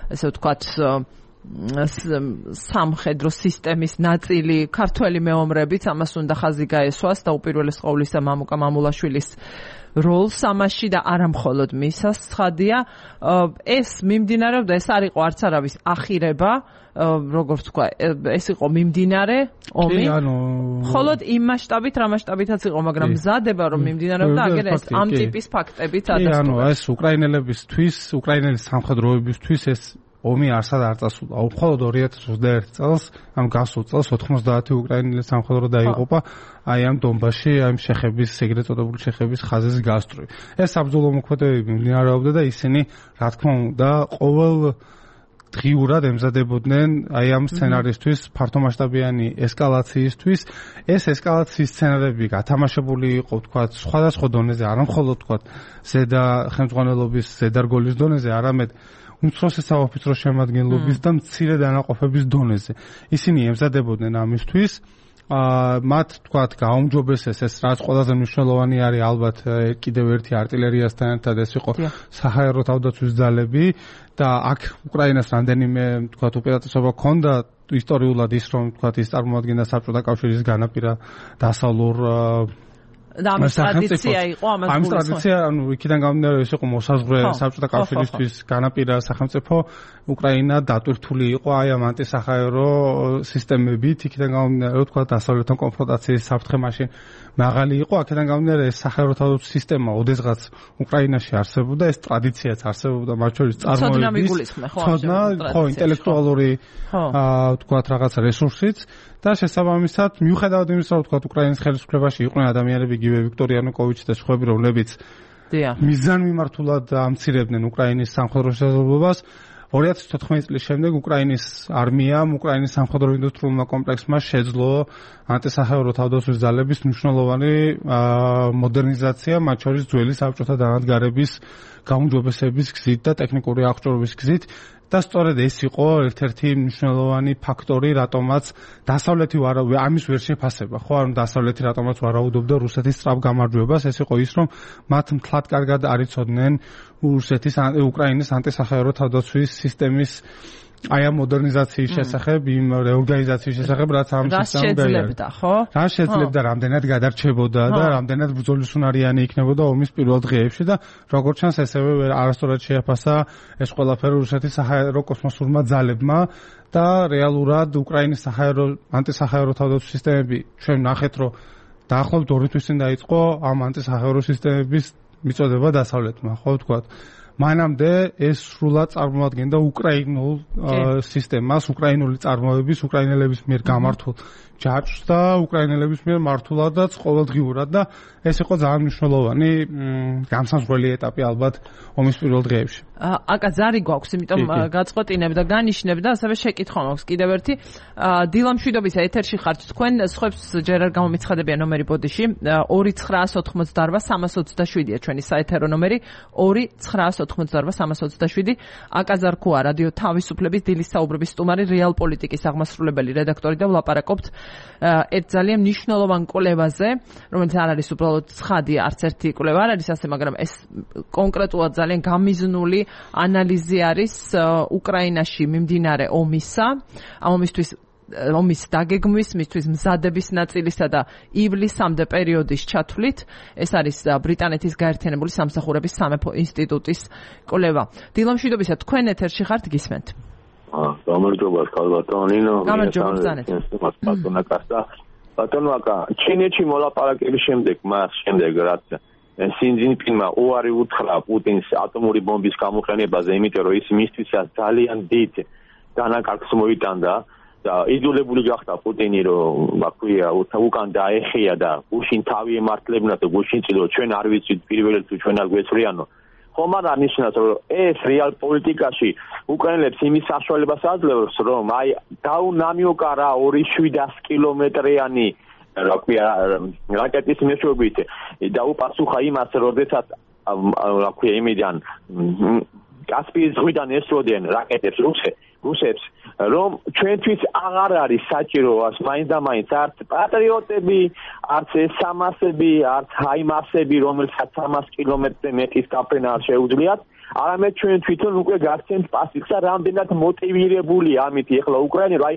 [SPEAKER 1] ესე ვთქვათ სამხედრო სისტემის ნაწილი ქართველი მეომრებიც ამას უნდა ხაზი გაესვას და უპირველეს ყოვლისა მამუკა მამულაშვილის როლს ამაში და არა მხოლოდ მისას ცხადია. ეს მიმდინარეობდა, ეს არ იყო არც არავის ახირება, როგორც თქვა, ეს იყო მიმდინარე ომი. მხოლოდ იმ მასშტაბით, რა მასშტაბითაც იყო, მაგრამ მზადება რომ მიმდინარეობდა, აგერ ეს ამ ტიპის ფაქტებიც ადასტურებს.
[SPEAKER 2] ანუ ეს უკრაინელებისთვის, უკრაინელის სამხედროებისთვის ეს ომი არსად არ წასულა. მხოლოდ 2021 წელს, ამ გასულ წელს 90 უკრაინელი სამხედრო დაიღუპა აი ამ დონბასში, ამ შეხების, ეგრეთ წოდებული შეხების ხაზის გასწვრივ. ეს საბრძოლო მოქმედებები მიმდინარეობდა და ისინი, რა თქმა უნდა, ყოველ დღიურად ემზადებოდნენ აი ამ სცენარისთვის, ფართომასშტაბიანი ესკალაციისთვის. ეს ესკალაციის სცენარები გათამაშებული იყო, თქვა, სხვადასხვა დონეზე, არა მხოლოდ თქვა, ზედა ხელმძღვანელობის, ზედარგოლის დონეზე, არამედ უმცროსი საოფიცრო შემადგენლობის და მცირე დანაყოფების დონეზე. ისინი ემზადებოდნენ ამისთვის. მათ თქვათ გაუმჯობესეს ეს, რაც ყველაზე მნიშვნელოვანი არის ალბათ კიდევ ერთი არტილერიასთან ერთად ეს იყო საჰაერო თავდაცვის ძალები და აქ უკრაინას რამდენიმე თქვათ უპირატესობა ჰქონდა ისტორიულად ის, რომ თქვათ ის წარმოადგენდა საბჭოთა კავშირის განაპირა დასავლურ
[SPEAKER 1] და ამის ტრადიცია იყო ამას
[SPEAKER 2] ამის ტრადიცია, ანუ იქიდან გამომდინარე ეს იყო მოსაზღვრე საბჭოთა კავშირისთვის განაპირა სახელმწიფო, უკრაინა დატვირთული იყო აი ამ ანტისაჰაერო სისტემებით, იქიდან გამომდინარე თქვა დასავლეთთან კონფრონტაციის საფრთხე მაშინ მაღალი იყო, აქედან გამომდინარე ეს საჰაერო თავდაცვის სისტემა ოდესღაც უკრაინაში არსებობდა, ეს ტრადიციაც არსებობდა, მათ შორის წარმოების ხო ინტელექტუალური თქვა რაღაცა რესურსიც და შესაბამისად, მიუხედავად იმისა, რომ თქვა უკრაინის ხელისუფლებაში იყვნენ ადამიანები, იგივე ვიქტორ იანუკოვიჩი და სხვაები, რომლებიც მიზანმიმართულად ამცირებდნენ უკრაინის სამხედრო შესაძლებლობას. 2014 წლის შემდეგ უკრაინის არმიამ, უკრაინის სამხედრო ინდუსტრიულმა კომპლექსმა შეძლო ანტისახელმწიფო თავდაცვის ძალების მნიშვნელოვანი მოდერნიზაცია, მათ შორის ძველი საბჭოთა დანადგარების გაუმჯობესების გზით და ტექნიკური აღჭურვილობის გზით. და სწორედ ეს იყო ერთ-ერთი მნიშვნელოვანი ფაქტორი, რატომაც დასავლეთი ამის ვერ შეფასება, ხო, ანუ დასავლეთი რატომაც ვარაუდობდა რუსეთის სწრაფ გამარჯვებას, ეს იყო ის, რომ მათ მთლად კარგად არ იცოდნენ რუსეთის უკრაინის ანტისახელმწიფო თავდაცვის სისტემის აი ამ მოდერნიზაციის შესახებ, იმ რეორგანიზაციის შესახებ, რაც ამ სისტემამ
[SPEAKER 1] შეძლებდა, ხო?
[SPEAKER 2] რა შეძლებდა, რამდენად გადარჩებოდა და რამდენად ბრძოლისუნარიანი იქნებოდა ომის პირველ დღეებში და როგორც ჩანს, ესევე არასწორად შეაფასა ეს ყველაფერი რუსეთის საჰაერო კოსმოსურმა ძალებმა და რეალურად უკრაინის ანტისახელმწიფო თავდაცვის სისტემები ჩვენ ნახეთ, რომ დაახლოებით 2 თვის წინ დაიწყო ამ ანტისახელმწიფო სისტემების მიწოდება დასავლეთმა, ხო ვთქვათ. მანამდე ეს სრულად წარმოადგენდა უკრაინულ სისტემას, უკრაინული წარმოების, უკრაინელების მიერ გამართულ ჯაჭვს და უკრაინელების მიერ მართულადაც ყოველდღიურად და ეს იყო ძალიან მნიშვნელოვანი განსაზღვრელი ეტაპი ალბათ ომის პირველ დღეებში.
[SPEAKER 1] აკა ზარი გვაქვს, იმიტომ გაწყვეტინებ და განიშნებ და ასევე შეკითხვა მაქვს კიდევ ერთი. დილა მშვიდობისა ეთერში ხართ თქვენ, სხვებს ჯერ არ გამომიცხადებიან ნომერი ბოდიში 2988327-ია ჩვენი საეთერო ნომერი 2988327. აკა ზარქუა რადიო თავისუფლების დილის საუბრების სტუმარი, რეალ პოლიტიკის აღმასრულებელი რედაქტორი და ვლაპარაკობთ ერთ ძალიან მნიშვნელოვან კვლევაზე, რომელიც არ არის უბრალოდ ცხადი, არც ერთი კვლევა არ არის ასე, მაგრამ ეს კონკრეტულად ძალიან გამიზნული ანალიზი არის უკრაინაში მიმდინარე ომისა, ამ ომის დაგეგმვის, მისთვის მზადების ნაწილისა და ივლისამდე პერიოდის ჩათვლით. ეს არის ბრიტანეთის გაერთიანებული სამსახურების სამეფო ინსტიტუტის კვლევა. დილა მშვიდობისა, თქვენ ეთერში ხართ, გისმენთ.
[SPEAKER 3] გამარჯობა, ქალბატონინო.
[SPEAKER 1] გამარჯობა, ბრძანეთ.
[SPEAKER 3] ბატონო აკა, ჩინეთში მოლაპარაკების შემდეგ, რაც სინძინპინმა უარი უთხრა პუტინს ატომური ბომბის გამოყენებაზე, იმიტომ რომ ის მისთვისაც ძალიან დიდ დანაკარგს მოიტანდა და იძულებული გახდა პუტინი, რომ ვაქვია უკან დაეხია და გუშინ თავი ემართლებინა და გუშინ წილო ჩვენ არ ვიცით პირველად თუ ჩვენ არ გვეცვლიანო. ხომ არ ნიშნავს, რომ ეს რეალ პოლიტიკაში უკრაინელებს იმის საშუალებას აძლევს, რომ აი დაუნამიოკარა 2.7 კილომეტრიანი რაკეტის მეშვეობით დაუპასუხა იმას, როდესაც იმიდან კასპიის ზღვიდან ესროდნენ რაკეტებს რუსებს, რომ ჩვენთვის აღარ არის საჭირო მაინდამაინც არც პატრიოტები, არც ესამასები, არც ჰაიმარსები, რომელსაც 300 კილომეტრზე მეტის გაფრენა არ შეუძლიათ, არამედ ჩვენ თვითონ უკვე გაგცემთ პასუხს და რამდენად მოტივირებული ამით ეხლა უკრაინა, აი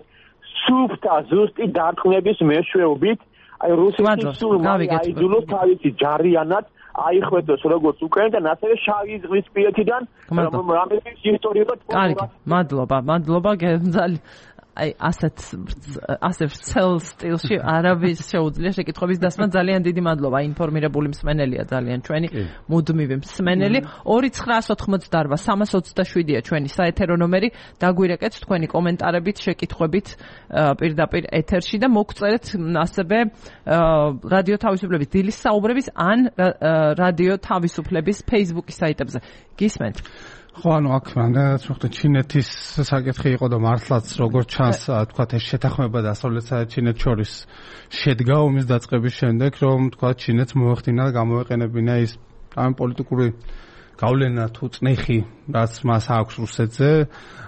[SPEAKER 3] სუფთა ზუსტი დარტყმების მეშვეობით, აი რუსეთის სულ აიძულოს თავისი ჯარიანად აიხვეთოს როგორც უკრაინიდან, ასევე შავი ზღვის პირეთიდან, რომელიც ისტორიულად
[SPEAKER 1] კარგი, მადლობა, ძალიან აი ასე ვრცელ სტილში არავის შეუძლია შეკითხვების დასმა. ძალიან დიდი მადლობა, ინფორმირებული მსმენელია ძალიან ჩვენი მუდმივი მსმენელი. 2988327-ია ჩვენი საეთერო ნომერი. დაგვირეკეთ თქვენი კომენტარებით, შეკითხვებით პირდაპირ ეთერში და მოგწერეთ ასევე რადიო თავისუფლების დილის საუბრების ან რადიო თავისუფლების Facebook-ის საიტებზე. გისმენთ?
[SPEAKER 2] ხო, ანუ აქ რამდენადაც ვხვდეთ, ჩინეთის საკითხი იყო და მართლაც როგორც ჩანს, თქვათ ეს შეთანხმება დასავლეთსა და ჩინეთს შორის შედგა ომის დაწყების შემდეგ, რომ თქვათ ჩინეთს მოეხდინა და გამოეყენებინა ის ამ პოლიტიკური გავლენა თუ წნეხი, რაც მას აქვს რუსეთზე,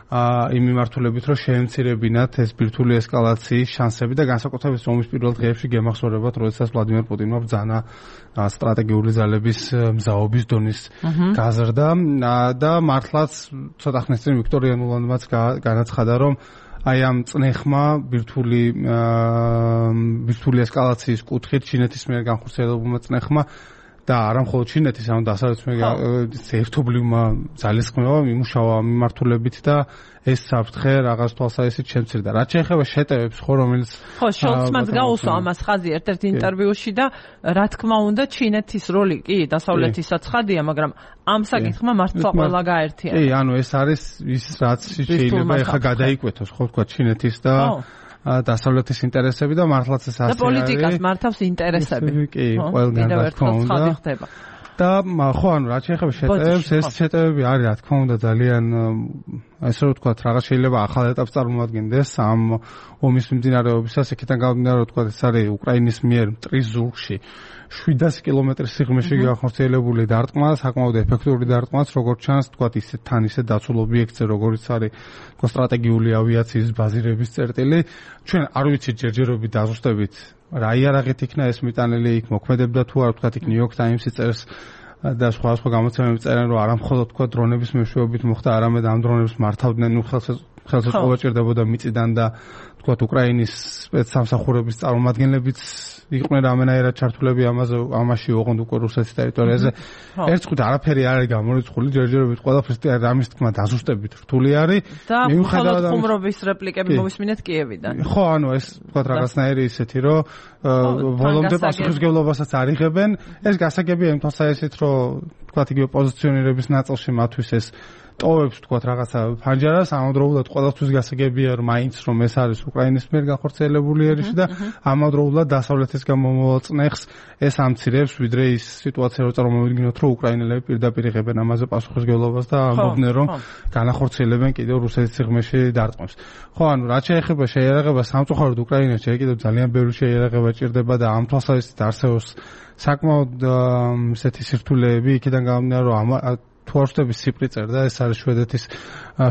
[SPEAKER 2] იმ მიმართულებით, რომ შეემცირებინათ ეს ბირთვული ესკალაციის შანსები და განსაკუთრებით ომის პირველ დღეებში გემახსოვრებათ, როდესაც ვლადიმერ პუტინმა ბრძანა სტრატეგიული ძალების მზაობის დონის გაზრდა და მართლაც ცოტა ხნის წინ ვიქტორ იანულოვანმაც განაცხადა, რომ აი ამ წნეხმა ბირთვული ესკალაციის კუთხით ჩინეთის მიერ განხორციელებულმა წნეხმა და არა მხოლოდ ჩინეთის, ანუ დასავლეთის ერთობლივმა ძალისხმევამ იმუშავა მიმართულებით და ეს საფრთხე რაღაც თვალსაზრისით შემცირდა. რაც შეეხება შეტევებს, რომელიც
[SPEAKER 1] ხო, შოლცმაც გაუსვა ამას ხაზი ერთ-ერთ ინტერვიუში და რა თქმა უნდა ჩინეთის როლი კი დასავლეთისაც ხადია, მაგრამ ამ საკითხმა მართლა ყველა გაერთიანა.
[SPEAKER 2] კი, ანუ ეს არის ის რაც შეიძლება ეხა გადაიკვეთოს, ხო ვთქვა ჩინეთის და დასავლეთის ინტერესები და მართლაც ეს ასე არის.
[SPEAKER 1] და პოლიტიკას მართავს ინტერესები.
[SPEAKER 2] კი, ყველგან რა თქმა უნდა. და ხო, ანუ რაც შეეხება შეტევებს, ეს შეტევები არის რა თქმა უნდა ძალიან ესე რომ ვთქვათ, რაღაც შეიძლება ახალ ეტაპს წარმოადგენდეს ამ ომის მიმდინარეობისას, იქიდან გამომდინარე რომ ვთქვათ, ეს არის უკრაინის მიერ მტრის ზურგში 700 კილომეტრის სიღრმეში განხორციელებული დარტყმა, საკმაოდ ეფექტური დარტყმაც, როგორც ჩანს, ვთქვათ, ისე თან ისე დაცულ ობიექტზე, როგორც არის თქო სტრატეგიული ავიაციის ბაზირების წერტილი. ჩვენ არ ვიცით ჯერჯერობით დაზუსტებით რა იარაღით იქნა ეს მიტანილი, იქ მოქმედებდა თუ არა, ვთქვათ, იქ New York Times-ი წერს და სხვა გამოცემები წერენ, რომ არა მხოლოდ თქვა დრონების მეშვეობით მოხდა, არამედ ამ დრონებს მართავდნენ, ხელსაწყოა ჭირდებოდა მიწიდან და თქვა უკრაინის სპეცსამსახურების წარმომადგენლებიც იყვნენ რამენაირად ჩართულები ამაში, ოღონდ უკვე რუსეთის ტერიტორიაზე. ერთ წუთი არაფერი არ არის გამორიცხული, ჯერჯერობით ყველაფერს რამის თქმა დაზუსტებით რთული არის.
[SPEAKER 1] მიუხედავად ხუმრობის რეპლიკები მოვისმინეთ კიევიდან.
[SPEAKER 2] ხო, ანუ ეს თქვა რაღაცნაირი ისეთი, რომ ბოლომდე პასუხისმგებლობასაც არ იღებენ. ეს გასაგებია იმ თვალსაზრისით, რომ თქვა იგივე პოზიციონირების ნაწილში მათთვის ეს ტოვებს თქვა რაღაცა ფანჯარას, ამავდროულად ყველასთვის გასაგებია რომ მაინც რომ ეს არის უკრაინის მიერ განხორციელებული ერიში და ამავდროულად დასავლეთისგან მომავალ წნეხს ეს ამცირებს, ვიდრე ის სიტუაცია რო წარმოვიდგინოთ, რომ უკრაინელები პირდაპირ იღებენ ამაზე პასუხისმგებლობას და ამბობდნენ რომ განახორციელებენ კიდევ რუსეთის სიღრმეში დარტყმებს. ხო, ანუ რაც შეეხება შეიარაღებას, სამწუხაროდ უკრაინაში კიდევ ძალიან ბევრი შეიარაღება ჭირდება და ამ თვალსაზრისით არსებობს საკმაოდ ისეთი სირთულეები, იქიდან გამომდინარე რომ თუ არ ვშტები სიპრი წერდა, ეს არის შვედეთის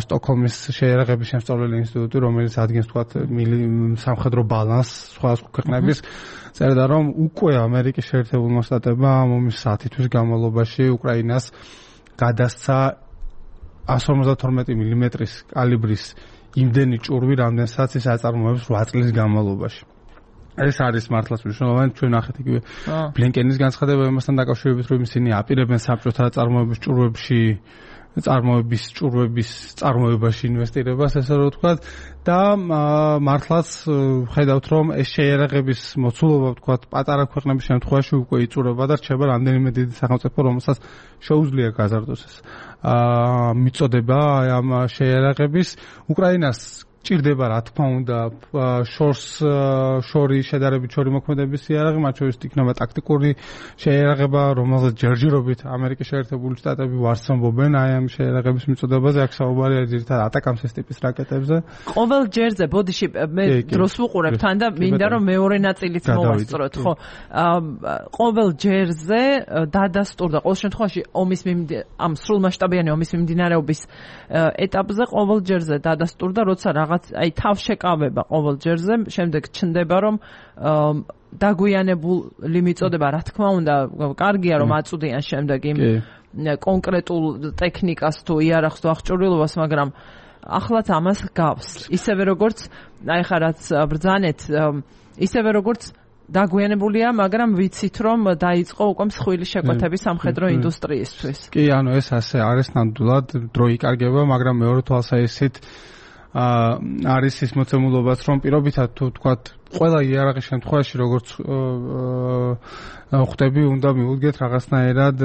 [SPEAKER 2] სტოკჰოლმის შეიარაღების შემსწავლელი ინსტიტუტი, რომელიც ადგენს თქვათ სამხედრო ბალანსს სხვადასხვა ქვეყნების, წერდა რომ უკვე ამერიკის შეერთებულმა შტატებმა ომის 10 თვის განმავლობაში უკრაინას გადასცა 152 მმ-ის კალიბრის იმდენი ჭურვი, რამდენსაც ის აწარმოებს 8 წლის განმავლობაში. ეს არის მართლაც მნიშვნელოვანი, ჩვენ ნახეთ იგივე ბლინკენის განცხადება იმასთან დაკავშირებით, რომ ისინი აპირებენ საბჭოთა წარმოების წარმოებაში ინვესტირებას, ესე რომ ვთქვათ, და მართლაც ხედავთ, რომ ეს შეიარაღების მოცულობა, ვთქვათ, პატარა ქვეყნების შემთხვევაში უკვე იწურება და რჩება რამდენიმე დიდი სახელმწიფო, რომელსაც შეუძლია გაზარდოს ეს მიწოდება ამ შეიარაღების. უკრაინას ჭირდება რა თქმა უნდა შორი შედარებით შორი მოქმედების იარაღი, მათ შორის იქნება ტაქტიკური შეიარაღება, რომელსაც ჯერჯერობით ამერიკის შეერთებული შტატები ვარცნობენ აი ამ შეიარაღების მიწოდებაზე, აქ საუბარია ძირითადად ატაკამსის ტიპის რაკეტებზე.
[SPEAKER 1] ყოველ ჯერზე ბოდიში მე დროს ვუყურებ თან და მინდა რომ მეორე ნაწილიც მოვასწროთ, ხო? ყოველ ჯერზე დადასტურდა ყოველ შემთხვევაში ამ სრულმასშტაბიანი ომის მიმდინარეობის ეტაპზე ყოველ ჯერზე დადასტურდა, როცა აი თავშეკავება ყოველ ჯერზე, შემდეგ ჩნდება რომ დაგვიანებული მიწოდება, რა თქმა უნდა, კარგია რომ აწვდიან შემდეგ იმ კონკრეტულ ტექნიკას თუ იარაღს თუ აღჭურვილობას, მაგრამ ახლაც ამას გავს. ისევე როგორც აი ხა რაც ბრძანეთ, ისევე როგორც დაგვიანებულია, მაგრამ ვიცით რომ დაიწყო უკვე მსხვილი შეკვეთები სამხედრო ინდუსტრიისთვის.
[SPEAKER 2] კი, ანუ ეს ასე არის ნამდვილად, დრო იკარგება, მაგრამ მეორე თვალსაზრისით არის ის მოცემულობაც, რომ პირობითად თუ თქვათ ყველა იარაღის შემთხვევაში როგორც ხვდები, უნდა მიუდგეთ რაღაცნაირად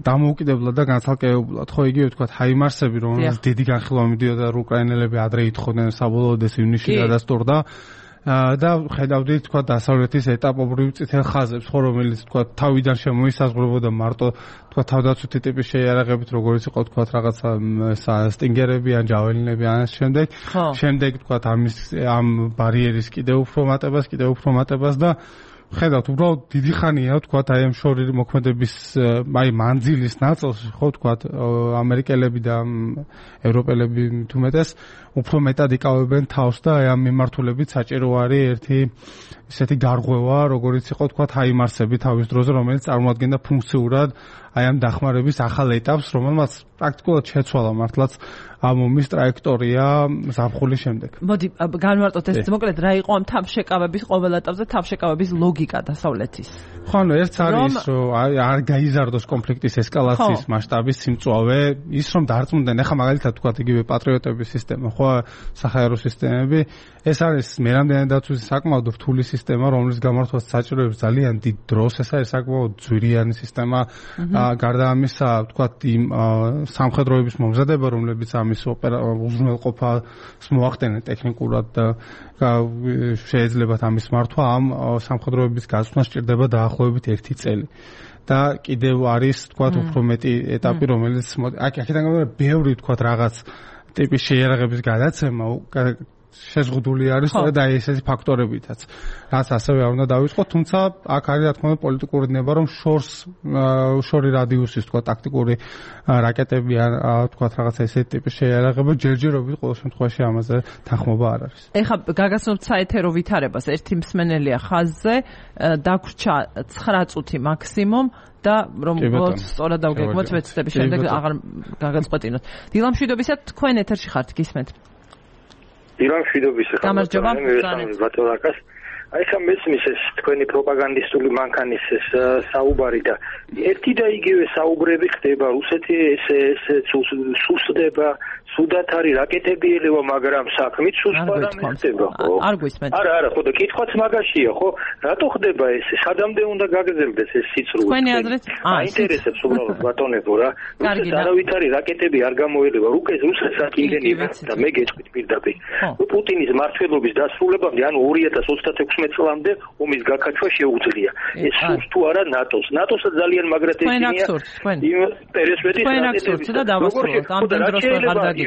[SPEAKER 2] დამოუკიდებლად და განცალკევებულად. ხო, იგივე თქვათ ჰაიმარსები, რომელსაც დიდი განხილვა მიდიოდა და უკრაინელები ადრე ითხოვდნენ, საბოლოოდ ეს ივნისში გადასტურდა. და ხედავდით თქვა დასავლეთის ეტაპობრივ წითელ ხაზებს, ხო, რომელიც თქვა თავიდან შემოისაზღვრებოდა მარტო თქვა თავდაცვითი ტიპის შეიარაღებით, როგორც იყო თქვა რაღაცა სტინგერები ან ჯაველინები ან ამ შემდეგ თქვა ამ ბარიერის კიდევ უფრო მატებას და ხედავთ, უბრალოდ დიდი ხანია თქვა აი ამ შორი მოქმედების აი მანძილის ნაწილში, ხო, თქვა ამერიკელები და ევროპელები თუ მეტეს უფრო მეტად იკავებენ თავს და აი ამ მიმართულებით საჭირო არის ერთი ისეთი გარღვევა, როგორც იყო თქვა ჰაიმარსები თავის დროზე, რომელიც წარმოადგენდა ფუნქციურად აი ამ დახმარების ახალ ეტაპს, რომელმაც პრაქტიკულად შეცვალა მართლაც ამ ომის ტრაექტორია ზაფხულის შემდეგ.
[SPEAKER 1] მოდი განვარტოთ ეს მოკლედ რა იყო ამ თავშეკავების ყოველ ეტაპზე თავშეკავების ლოგიკა დასავლეთის.
[SPEAKER 2] ხო, ანუ ერთს არის რომ არ გაიზარდოს კონფლიქტის ესკალაციის მასშტაბის სიმწვავე, ის რომ დარწმუნდნენ, ახლა მაგალითად თქვა იგივე პატრიოტების სისტემა, ხო, საჰაერო სისტემები, ეს არის მერამდენე დაცვის საკმაოდ რთული სისტემა, რომლის გამართვაც საჭიროებს ძალიან დიდ დროს, ეს არის საკმაოდ ძვირიანი სისტემა, გარდა ამისა, თქვა იმ სამხედროების მომზადება, რომლებიც ამის ამის უზრუნველყოფას მოახდენენ ტექნიკურად და შეიძლება ამის მართვა ამ სამხედროების გასვლა სჭირდება დაახლოებით 1 წელი. და კიდევ არის თქვათ უფრო მეტი ეტაპი, რომელიც აქედან გამომდინარე ბევრი თქვათ რაღაც ტიპის შეიარაღების გადაცემა შეზღუდული არის სწორედ აი ესეთი ფაქტორებითაც, რაც ასევე არ უნდა დავიწყოთ, თუმცა აქ არის რა თქმა უნდა პოლიტიკური ნება, რომ შორი რადიუსის თქვა ტაქტიკური რაკეტები ან თქვა რაღაცა ესეთი ტიპის შეიარაღება ჯერჯერობით ყოველ შემთხვევაში ამაზე თანხმობა არ არის.
[SPEAKER 1] ეხლა გაგაცნობთ საეთერო ვითარებას, ერთი მსმენელია ხაზზე, დაგვრჩა 9 წუთი მაქსიმუმ და რომ სწორად დავგეგმოთ ვეცდები შემდეგ აღარ გაგაწყვეტინოთ. დილამშვიდობისა, თქვენ ეთერში ხართ, გისმენთ.
[SPEAKER 4] დილამშვიდობისა,
[SPEAKER 1] გამარჯობა,
[SPEAKER 4] ბატონაკას. აი ხა მესმის ეს თქვენი პროპაგანდისტული მანქანის ეს საუბარი და ერთი და იგივე საუბრები ხდება, რუსეთი ეს სუსტდება, სუდათ არის რაკეტები ელევა, მაგრამ საქმით სუსტად ხდება, ხო?
[SPEAKER 1] არ გვისმენთ.
[SPEAKER 4] არა, ხო და კითხვაც მაგაშია, ხო? რატო ხდება ეს? სადამდე უნდა გაგრძელდეს ეს სიცრუე?
[SPEAKER 1] თქვენი აზრით?
[SPEAKER 4] აინტერესებს უბრალოდ ბატონებო რა. რუსეთს არავითარი რაკეტები არ გამოელევა, რუსეთს აკინგენია და მე გეტყვით პირდაპირ. პუტინის მმართველობის დასრულებამდე, ანუ 2036 წლამდე ომის გაკაჩვა შეუძლია. ეს სულს თუ არა ნატოს. ნატოსაც ძალიან მაგრად ექიმია. პერესვედის
[SPEAKER 1] რაკეტები და დავასრულოთ. ამდენ დროს აღარ დაგიწყოთ.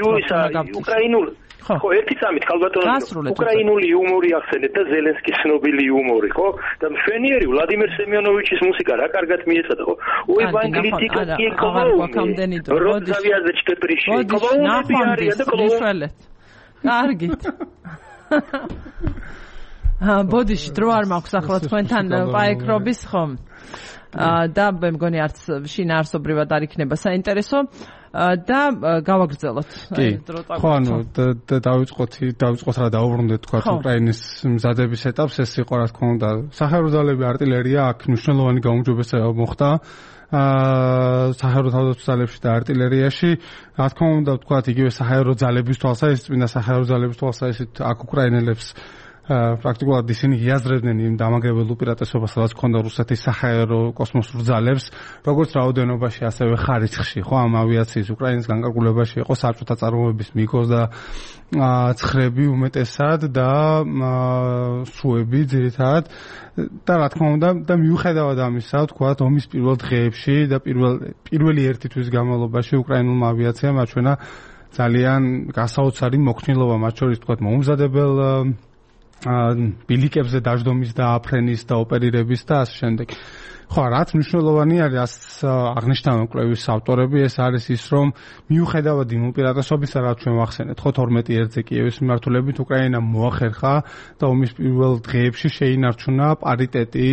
[SPEAKER 4] უკრაინული ხო, ერთი წამით ხალბატონო, უკრაინული იუმორი ახსენეთ და ზელენსკის ცნობილი იუმორი, ხო? და მშვენიერი ვლადიმერ სემიონოვიჩის მუსიკა რა კარგად მიეწოდა, ხო? ой, вангелитика ки
[SPEAKER 1] კლოუნი.
[SPEAKER 4] როდზავიაზეჩკე პრიში. კლოუნები არიან და კლოუნები.
[SPEAKER 1] კარგით. ბოდიში დრო არ მაქვს ახლა თქვენთან პაექრობის ხომ? და მე მგონი არც შინაარსობრივად არ იქნება საინტერესო და გავაგრძელოთ.
[SPEAKER 2] ხო, ანუ დავიწყოთ რა დაუბრუნდეთ თქვა უკრაინის მზადების ეტაპს, ეს იყო რა თქმა უნდა სახარო ძალები არტილერია, აქ მნიშვნელოვანი გაუმჯობესება მოხდა სახარო თავდაცვის ძალებში და არტილერიაში, რა თქმა უნდა თქვა იგივე სახარო ძალების თვალსაზრისით, წმინდა სახარო ძალების თვალსაზრისით აქ უკრაინელებს პრაქტიკულად ისინი იაზრებდნენ იმ დამაგრებელ უპირატესობას, სადაც ჰქონდა რუსეთის საჰაერო კოსმოსურ ძალებს, როგორც რაოდენობაში, ასევე ხარისხში, ხო, ამ ავიაციის უკრაინის განკარგულებაში იყო საბჭოთა წარმოების მიგოს და ცხრები უმეტესად და სუები ძირითადად და რა თქმა უნდა და მიუხედავად ამისა, თქვათ, ომის პირველ დღეებში და პირველი ერთი თვის განმავლობაში უკრაინულმა ავიაციამ აჩვენა ძალიან გასაოცარი მოქნილობა, მათ შორის თქვათ, მოუმზადებელ ბილიკებზე დაждომის და აფრენის და ოპერირების და ასე შემდეგ. ხო, რაც მნიშვნელოვანი არის აღნიშნავენ კვლევის ავტორები, ეს არის ის, რომ მიუხედავად იმ უპირატესობისა, რაც ჩვენ ვახსენეთ, ხო 12-ზე კიევის მიმართულებით უკრაინამ მოახერხა და ომის პირველ დღეებში შეინარჩუნა პარიტეტი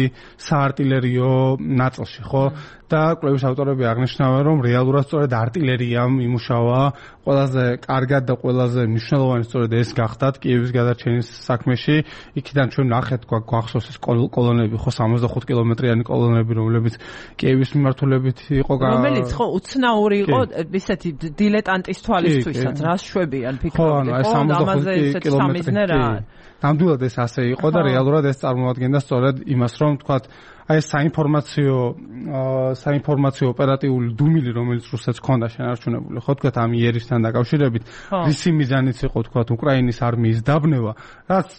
[SPEAKER 2] საარტილერიო ნაწილში, ხო? და კვლევის ავტორები აღნიშნავენ, რომ რეალურად სწორედ არტილერიამ იმუშავა ყველაზე კარგად და ყველაზე მნიშვნელოვანი სწორედ ეს გახდათ კიევის გადარჩენის საქმეში. იქიდან ჩვენ ნახეთ, გვახსოვს ეს კოლონები, ხო 65 კილომეტრიანი კოლონები, რომლებიც კიევის მიმართულებით იყო
[SPEAKER 1] რომელიც ხო უცნაური იყო ისეთი დილეტანტის თვალისთვისაც, რას შვებიან ფიქრობდნენ, ხო ამაზე ესეთი სამიზნე რა.
[SPEAKER 2] ნამდვილად ეს ასე იყო და რეალურად ეს წარმოადგენდა სწორედ იმას, რომ თქვათ აი საინფორმაციო ოპერატიული დუმილი, რომელიც რუსეთს ჰქონდა შენარჩუნებული, ხო თქვათ ამ იერისთან დაკავშირებით, რისი მიზანიც იყო თქვათ უკრაინის არმიის დაბნევა, რაც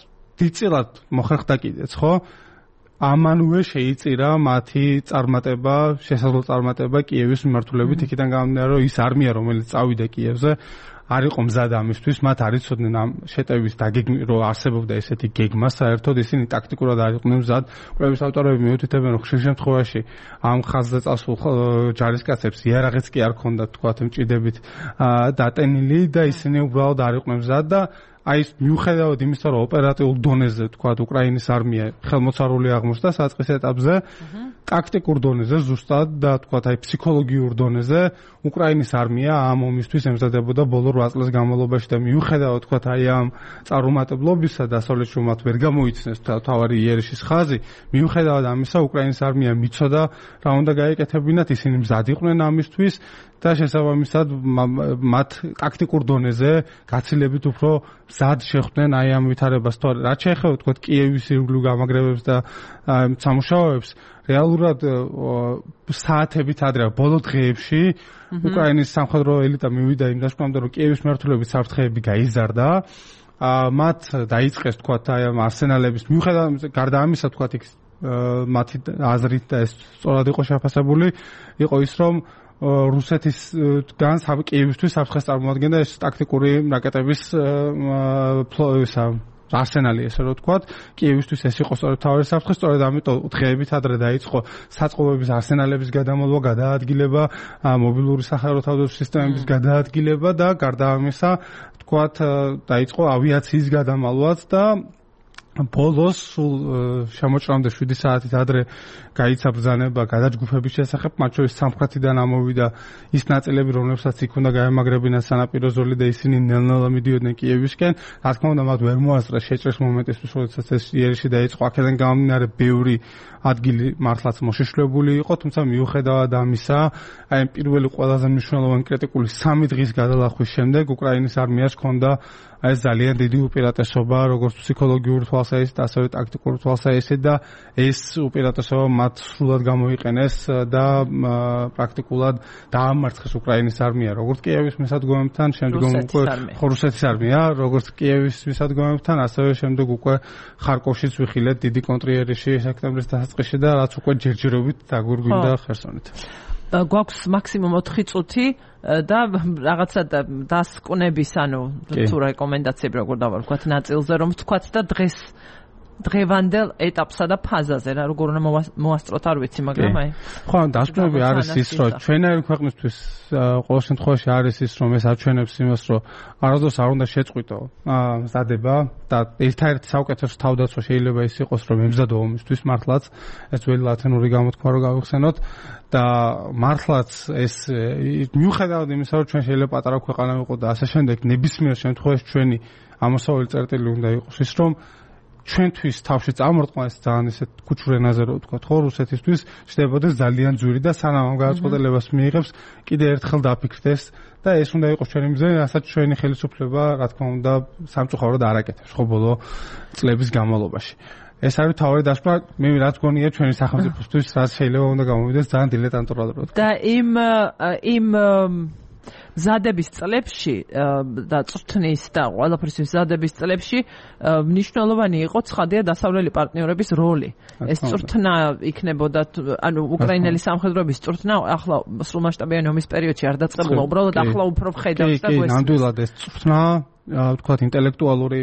[SPEAKER 2] დიდწილად მოხერხდა კიდეც, ხო? ამანუე შეიწირა მათი წარმატება, შესაძლო წარმატება კიევის მიმართულებით, იქიდან გამომდინარე, რომ ის არმია, რომელიც წავიდა კიევზე, არ იყო მზად ამისთვის, მათ არ იცოდნენ ამ შეტევის რომ არსებობდა ესეთი გეგმა, საერთოდ ისინი ტაქტიკურად არ იყვნენ მზად. კვლევის ავტორები მიუთითებენ, რომ ხშირ შემთხვევაში ამ ხაზზე წასულ ჯარისკაცებს იარაღიც კი არ ჰქონდათ, თქვათ, მჭიდებით დატენილი და ისინი უბრალოდ არ იყვნენ მზად და აი ეს მიუხედავად იმისა, რომ ოპერატიულ დონეზე, თქვათ, უკრაინის არმია ხელმოწარული აღმოჩნდა საწყის ეტაპზე, ტაქტიკურ დონეზე ზუსტად და თქვათ, აი ფსიქოლოგიურ დონეზე უკრაინის არმია ამ ომისთვის ემზადებოდა ბოლო 8 წლის განმავლობაში და მიუხედავად, თქვათ, აი ამ წარუმატებლობისა და დასავლეთში მათ ვერ გამოიცნეს თავარი იერიშის ხაზი, მიუხედავად ამისა, უკრაინის არმია მიცოდა რა უნდა გაეკეთებინათ, ისინი მზად იყვნენ ამისთვის და შესაბამისად მათ ტაქტიკურ დონეზე გაცილებით უფრო მზად შეხვდნენ აი ამ ვითარებას. თორე რაც შეეხება თქო კიევის ირგვლივ გამაგრებებს და სამუშაოებს, რეალურად საათებით ადრე ბოლო დღეებში უკრაინის სამხედრო ელიტა მივიდა იმ დაშკვნამდე, რომ კიევის მმართველობის საფრთხეები გაიზარდა. მათ დაიწყეს თქვათ აი ამ არსენალების მიუხედავად გარდა ამისა თქვათ იქ მათი აზრით და ეს სწორად იყო შეფასებული, იყო ის რომ რუსეთისგან კიევისთვის საფრთხეს წარმოადგენდა ეს ტაქტიკური რაკეტების არსენალი, ესე რომ ვთქვათ, კიევისთვის ეს იყო სწორედ თავი საფრთხე, სწორედ ამიტომ დღეებით ადრე დაიწყო საწყობების არსენალების გადამალვა, გადაადგილება, მობილური სახელმწიფო თავდაცვის სისტემების გადაადგილება და გარდა ამისა, ვთქვათ, დაიწყო ავიაციის გადამალვაც და ბოლოს სულ შემოჭრამდე 7 საათით ადრე გაიცა ბრძანება გადაჯგუფების შესახებ, მათ შორის სამხრეთიდან ამოვიდა ის ნაწილები, რომლებსაც იქ უნდა გაემაგრებინათ სანაპირო ზოლი და ისინი ნელ-ნელა მიდიოდნენ კიევისკენ. რა თქმა უნდა, მათ ვერ მოასწრეს შეჭრის მომენტისთვის, როდესაც ეს იერიში დაიწყო, აქედან გამომდინარე ბევრი ადგილი მართლაც მოშიშვლებული იყო, თუმცა მიუხედავად ამისა, აი პირველი ყველაზე მნიშვნელოვანი კრიტიკული 3 დღის გადალახვის შემდეგ უკრაინის არმიას ჰქონდა ეს ძალიან დიდი უპირატესობა, როგორც ფსიქოლოგიური თვალსაზრისით, ასევე ტაქტიკური თვალსაზრისით და ეს უპირატესობა მათ სრულად გამოიყენეს და პრაქტიკულად დაამარცხეს უკრაინის არმია, როგორც კიევის მისადგომებთან, შემდგომ უკვე რუსეთის არმია, როგორც კიევის მისადგომებთან, ასევე შემდეგ უკვე ხარკოვშიც ვიხილეთ დიდი კონტრიერიში სექტემბრის დასაწყისში და რაც უკვე ჯერჯერობით დაგვირგვინდა ხერსონით.
[SPEAKER 1] გვაქვს მაქსიმუმ 4 წუთი და რაღაცა დასკვნების, ანუ თუ რეკომენდაციები როგორ დავარქვათ ნაწილზე, რომ ვთქვათ და დღევანდელ ეტაპსა და ფაზაზე რა როგორ უნდა მოასწროთ არ ვიცი, მაგრამ აი
[SPEAKER 2] ხო, დასკვნები არის ის, რომ ჩვენაირი ქვეყნისთვის ყოველ შემთხვევაში არის ის, რომ ეს აჩვენებს იმას, რომ არასდროს არ უნდა შეწყვიტო მზადება და ერთ-ერთი საუკეთესო თავდაცვა შეიძლება ის იყოს, რომ ემზადო ომისთვის მართლაც ეს ძველი ლათინური გამოთქმა რო გავიხსენოთ და მართლაც ეს მიუხედავად იმისა, რომ ჩვენ შეიძლება პატარა ქვეყანა ვიყოთ და ასე შემდეგ, ნებისმიერ შემთხვევაში ჩვენი ამოსავალი წერტილი უნდა იყოს ის, რომ ჩვენთვის თავში წამორტყმა ეს ძალიან ისეთ ქუჩურ ენაზე რო ვთქვათ, ხო, რუსეთისთვის ხდებოდეს ძალიან ძვირი და სანამ ამ გადაწყვეტილებას მიიღებს, კიდე ერთხელ დაფიქრდეს და ეს უნდა იყოს ჩვენი მიზანი, რასაც ჩვენი ხელისუფლება, რა თქმა უნდა, სამწუხაროდ არ აკეთებს, ხო, ბოლო წლების განმავლობაში. ეს არის თავი დასკვნა, მე რაც გონია ჩვენი სახელმწიფოსთვის, რაც შეიძლება უნდა გამოვიდეს ძალიან დილეტანტურად რო.
[SPEAKER 1] და იმ ზადების წლებში და წვრთნის და ყველაფრის ზადების წლებში მნიშვნელოვანი იყო ცხადია დასავლელი პარტნიორების როლი. ეს წვრთნა იქნებოდა, ანუ უკრაინელი სამხედროების წვრთნა ახლა სრულმასშტაბიანი ომის პერიოდში არ დაწყებულა, უბრალოდ ახლა უფრო ხედავს და
[SPEAKER 2] გვესმის. ნამდვილად ეს წვრთნა, ვთქვათ, ინტელექტუალური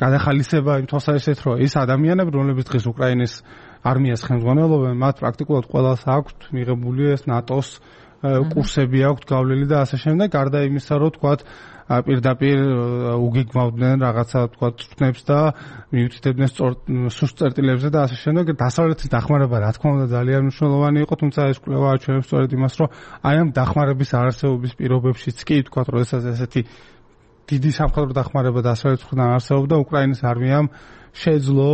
[SPEAKER 2] გადახალისება იმ თვალსაზრისით, რომ ის ადამიანები, რომლებიც დღეს უკრაინის არმიას ხელმძღვანელობენ, მათ პრაქტიკულად ყველას აქვთ მიღებული ეს ნატოს კურსები აქვთ გავლილი და ასე შემდეგ, გარდა იმისა, რომ თქვათ პირდაპირ უგეგმავდნენ რაღაცა თქვათ წვრთნებს და მიუთითებდნენ სუსტ წერტილებზე და ასე შემდეგ. დასავლეთის დახმარება რა თქმა უნდა ძალიან მნიშვნელოვანი იყო, თუმცა ეს კვლევა აჩვენებს სწორედ იმას, რომ აი ამ დახმარების არარსებობის პირობებშიც კი თქვათ, როდესაც ესეთი დიდი სამხედრო დახმარება დასავლეთის მხრიდან არსებობდა, უკრაინის არმიამ შეძლო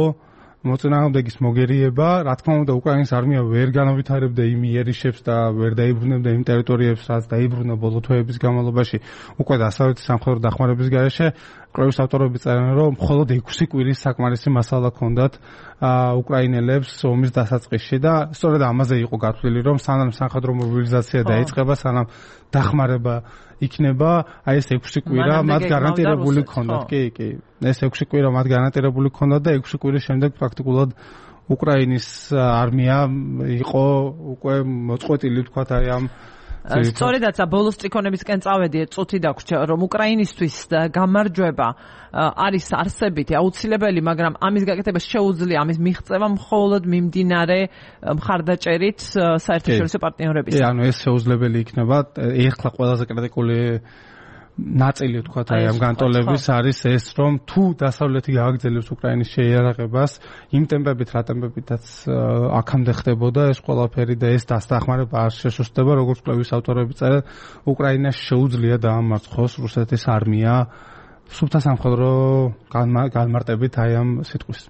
[SPEAKER 2] მოწინააღმდეგის მოგერიება, რა თქმა უნდა, უკრაინის არმია ვერ განავითარებდა იმ იერიშებს და ვერ დაიბრუნებდა იმ ტერიტორიებს, რაც დაიბრუნა ბოლო თვეების განმავლობაში, უკვე დასავლეთის სამხედრო დახმარების გარეშე. კვლევის ავტორები წერენ, რომ მხოლოდ 6 კვირის საკმარისი მასალა ჰქონდათ უკრაინელებს ომის დასაწყისში და სწორედ ამაზე იყო გათვლილი, რომ სანამ სამხედრო მობილიზაცია დაიწყება, სანამ დახმარება იქნება, აი ეს 6 კვირა მათ გარანტირებული ჰქონდათ. კი. ეს 6 კვირა მათ გარანტირებული ჰქონდათ და 6 კვირის შემდეგ პრაქტიკულად უკრაინის არმია იყო უკვე მოწყვეტილი, თქვათ, აი ამ
[SPEAKER 1] სწორედაც ბოლოს ტრიქონებისკენ წავედი, წუთი დაგვრჩა, რომ უკრაინისთვის გამარჯვება არის არსებითი, აუცილებელი, მაგრამ ამის გაკეთება შეუძლია, ამის მიღწევა მხოლოდ მიმდინარე მხარდაჭერით საერთაშორისო პარტნიორების.
[SPEAKER 2] ანუ ეს შეუძლებელი იქნება. ეხლა ყველაზე კრიტიკული ნაწილი თქვათ აი ამ განტოლების არის ეს, რომ თუ დასავლეთი გააგრძელებს უკრაინის შეიარაღებას იმ ტემპებით, რა ტემპებითაც აქამდე ხდებოდა ეს ყველაფერი და ეს დასახმარება არ შესუსტდება, როგორც კვლევის ავტორები წერენ, უკრაინას შეუძლია დაამარცხოს რუსეთის არმია სუფთა სამხედრო განმარტებით აი ამ სიტყვის.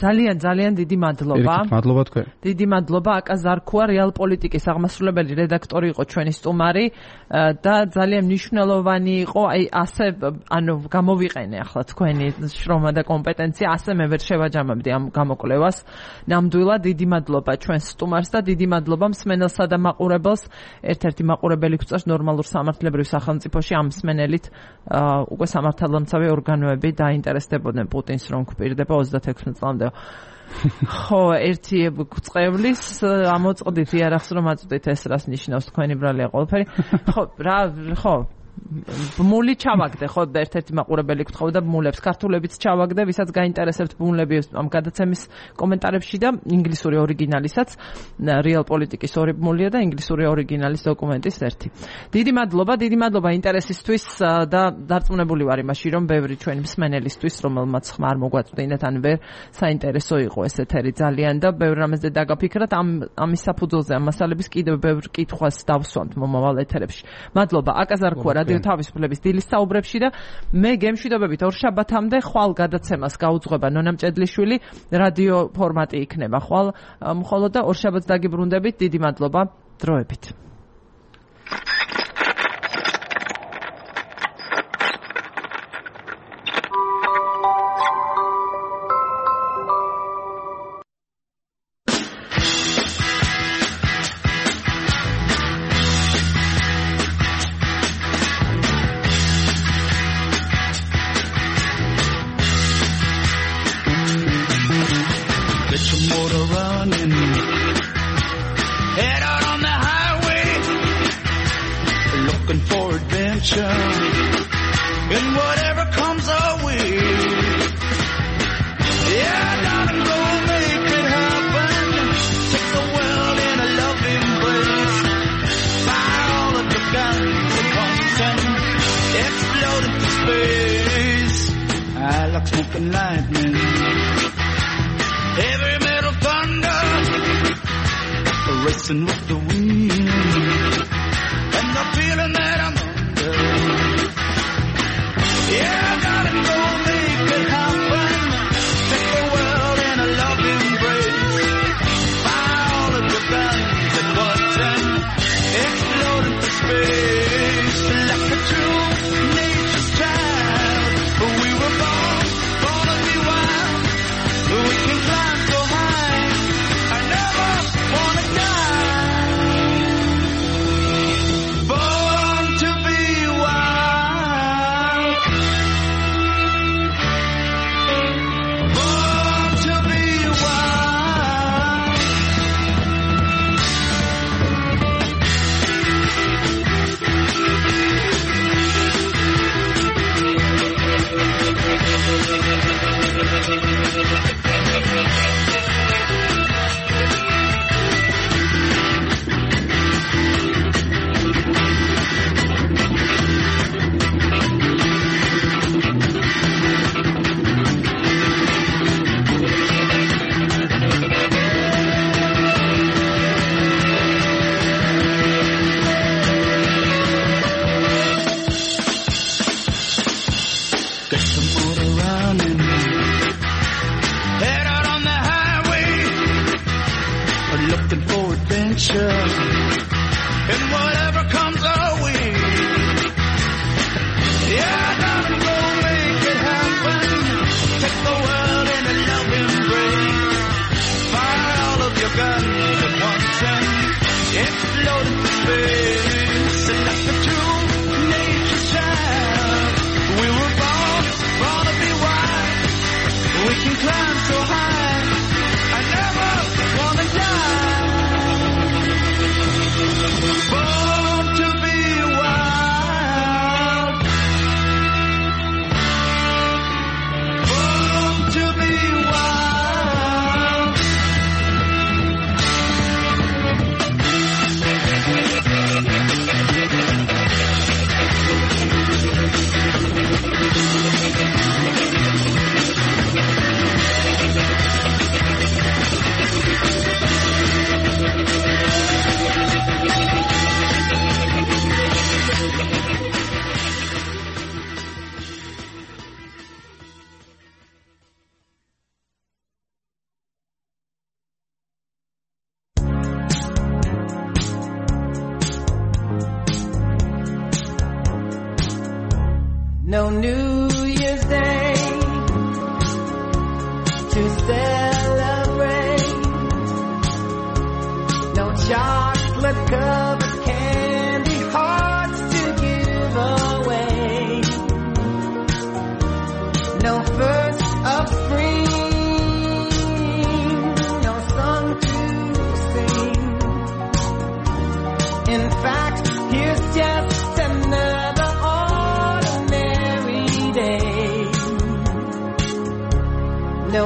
[SPEAKER 1] ძალიან დიდი მადლობა.
[SPEAKER 2] მადლობა თქვენ.
[SPEAKER 1] დიდი მადლობა აკა ზარქუა რეალ პოლიტიკის აღმასრულებელი რედაქტორი იყო ჩვენი სტუმარი და ძალიან მნიშვნელოვანი იყო აი ასე გამოვიყენე ახლა თქვენი შრომა და კომპეტენცია ასე მე ვერ შევაჯამებდი ამ გამოკვლევას. ნამდვილად დიდი მადლობა ჩვენს სტუმარს და დიდი მადლობა მსმენელსა და მაყურებელს. ერთ-ერთი მაყურებელი გვწევს ნორმალურ სამართლებრივ სახელმწიფოში ამ მსმენელით უკვე სამართალდამცავი ორგანოები დაინტერესდებოდნენ პუტინს რომ გვპირდება 26 წლამდე. ხო, ერთი გვწყევლის ამოწყდით იარაღს რომ აწვდით ეს რას ნიშნავს თქვენი ბრალია ყველაფერი. ხო, ბმული ჩავაგდე, ხო, ერთ-ერთი მაყურებელი გთხოვდა ბმულებს, ქართულებიც ჩავაგდე, ვისაც გაინტერესებთ ბმულები ამ გადაცემის კომენტარებში და ინგლისური ორიგინალისაც, რეალ პოლიტიკის ორი ბმულია და ინგლისური ორიგინალის დოკუმენტის ერთი. დიდი მადლობა ინტერესისთვის და დარწმუნებული ვარ იმაში, რომ ბევრი ჩვენი მსმენელისთვის, რომელმაც ხმა არ მოგვაწვდინეთ, ან ვერ საინტერესო იყო ეს ეთერი ძალიან და ბევრ რამეზე დაგაფიქრათ, ამის საფუძველზე ამ მასალების კიდევ ბევრ კითხვას დავსვამთ მომავალ ეთერებში. მადლობა, აკა ზარქუა რადიო თავისუფლების დილის საუბრებში და მე გემშვიდობებით ორშაბათამდე ხვალ გადაცემას გაუძღვება ნონა მჭედლიშვილი, რადიო ფორმატი იქნება ხვალ მხოლოდ და ორშაბათს დაგიბრუნდებით. დიდი მადლობა, დროებით.
[SPEAKER 5] And whatever comes our way, yeah, darling, go make it happen. Take the world in a loving embrace. Fire all of your guns at once and explode into space. I like smoke and lightning, heavy metal thunder, racing with the wind, and the feeling that I'm yeah, darling, go make it happen. Take the world in a loving embrace. Fire all of your guns at once and explode into space. Like a true nature's child, we were born to be wild. We can climb so high, I never wanna die. Born to be wild. Born to be wild. Get the motor running, head out on the highway, looking for adventure, and whatever comes our way. Yeah, darling, go make it happen. Take the world in a loving embrace. Fire all of your guns at once and explode into space. And like a true nature's child, we were born to be wild. We can climb so high, I never wanna die.
[SPEAKER 6] No New Year's Day to celebrate. No chocolate covered candy hearts to give away. No first of spring, no song to sing. In fact, here's just another ordinary day. No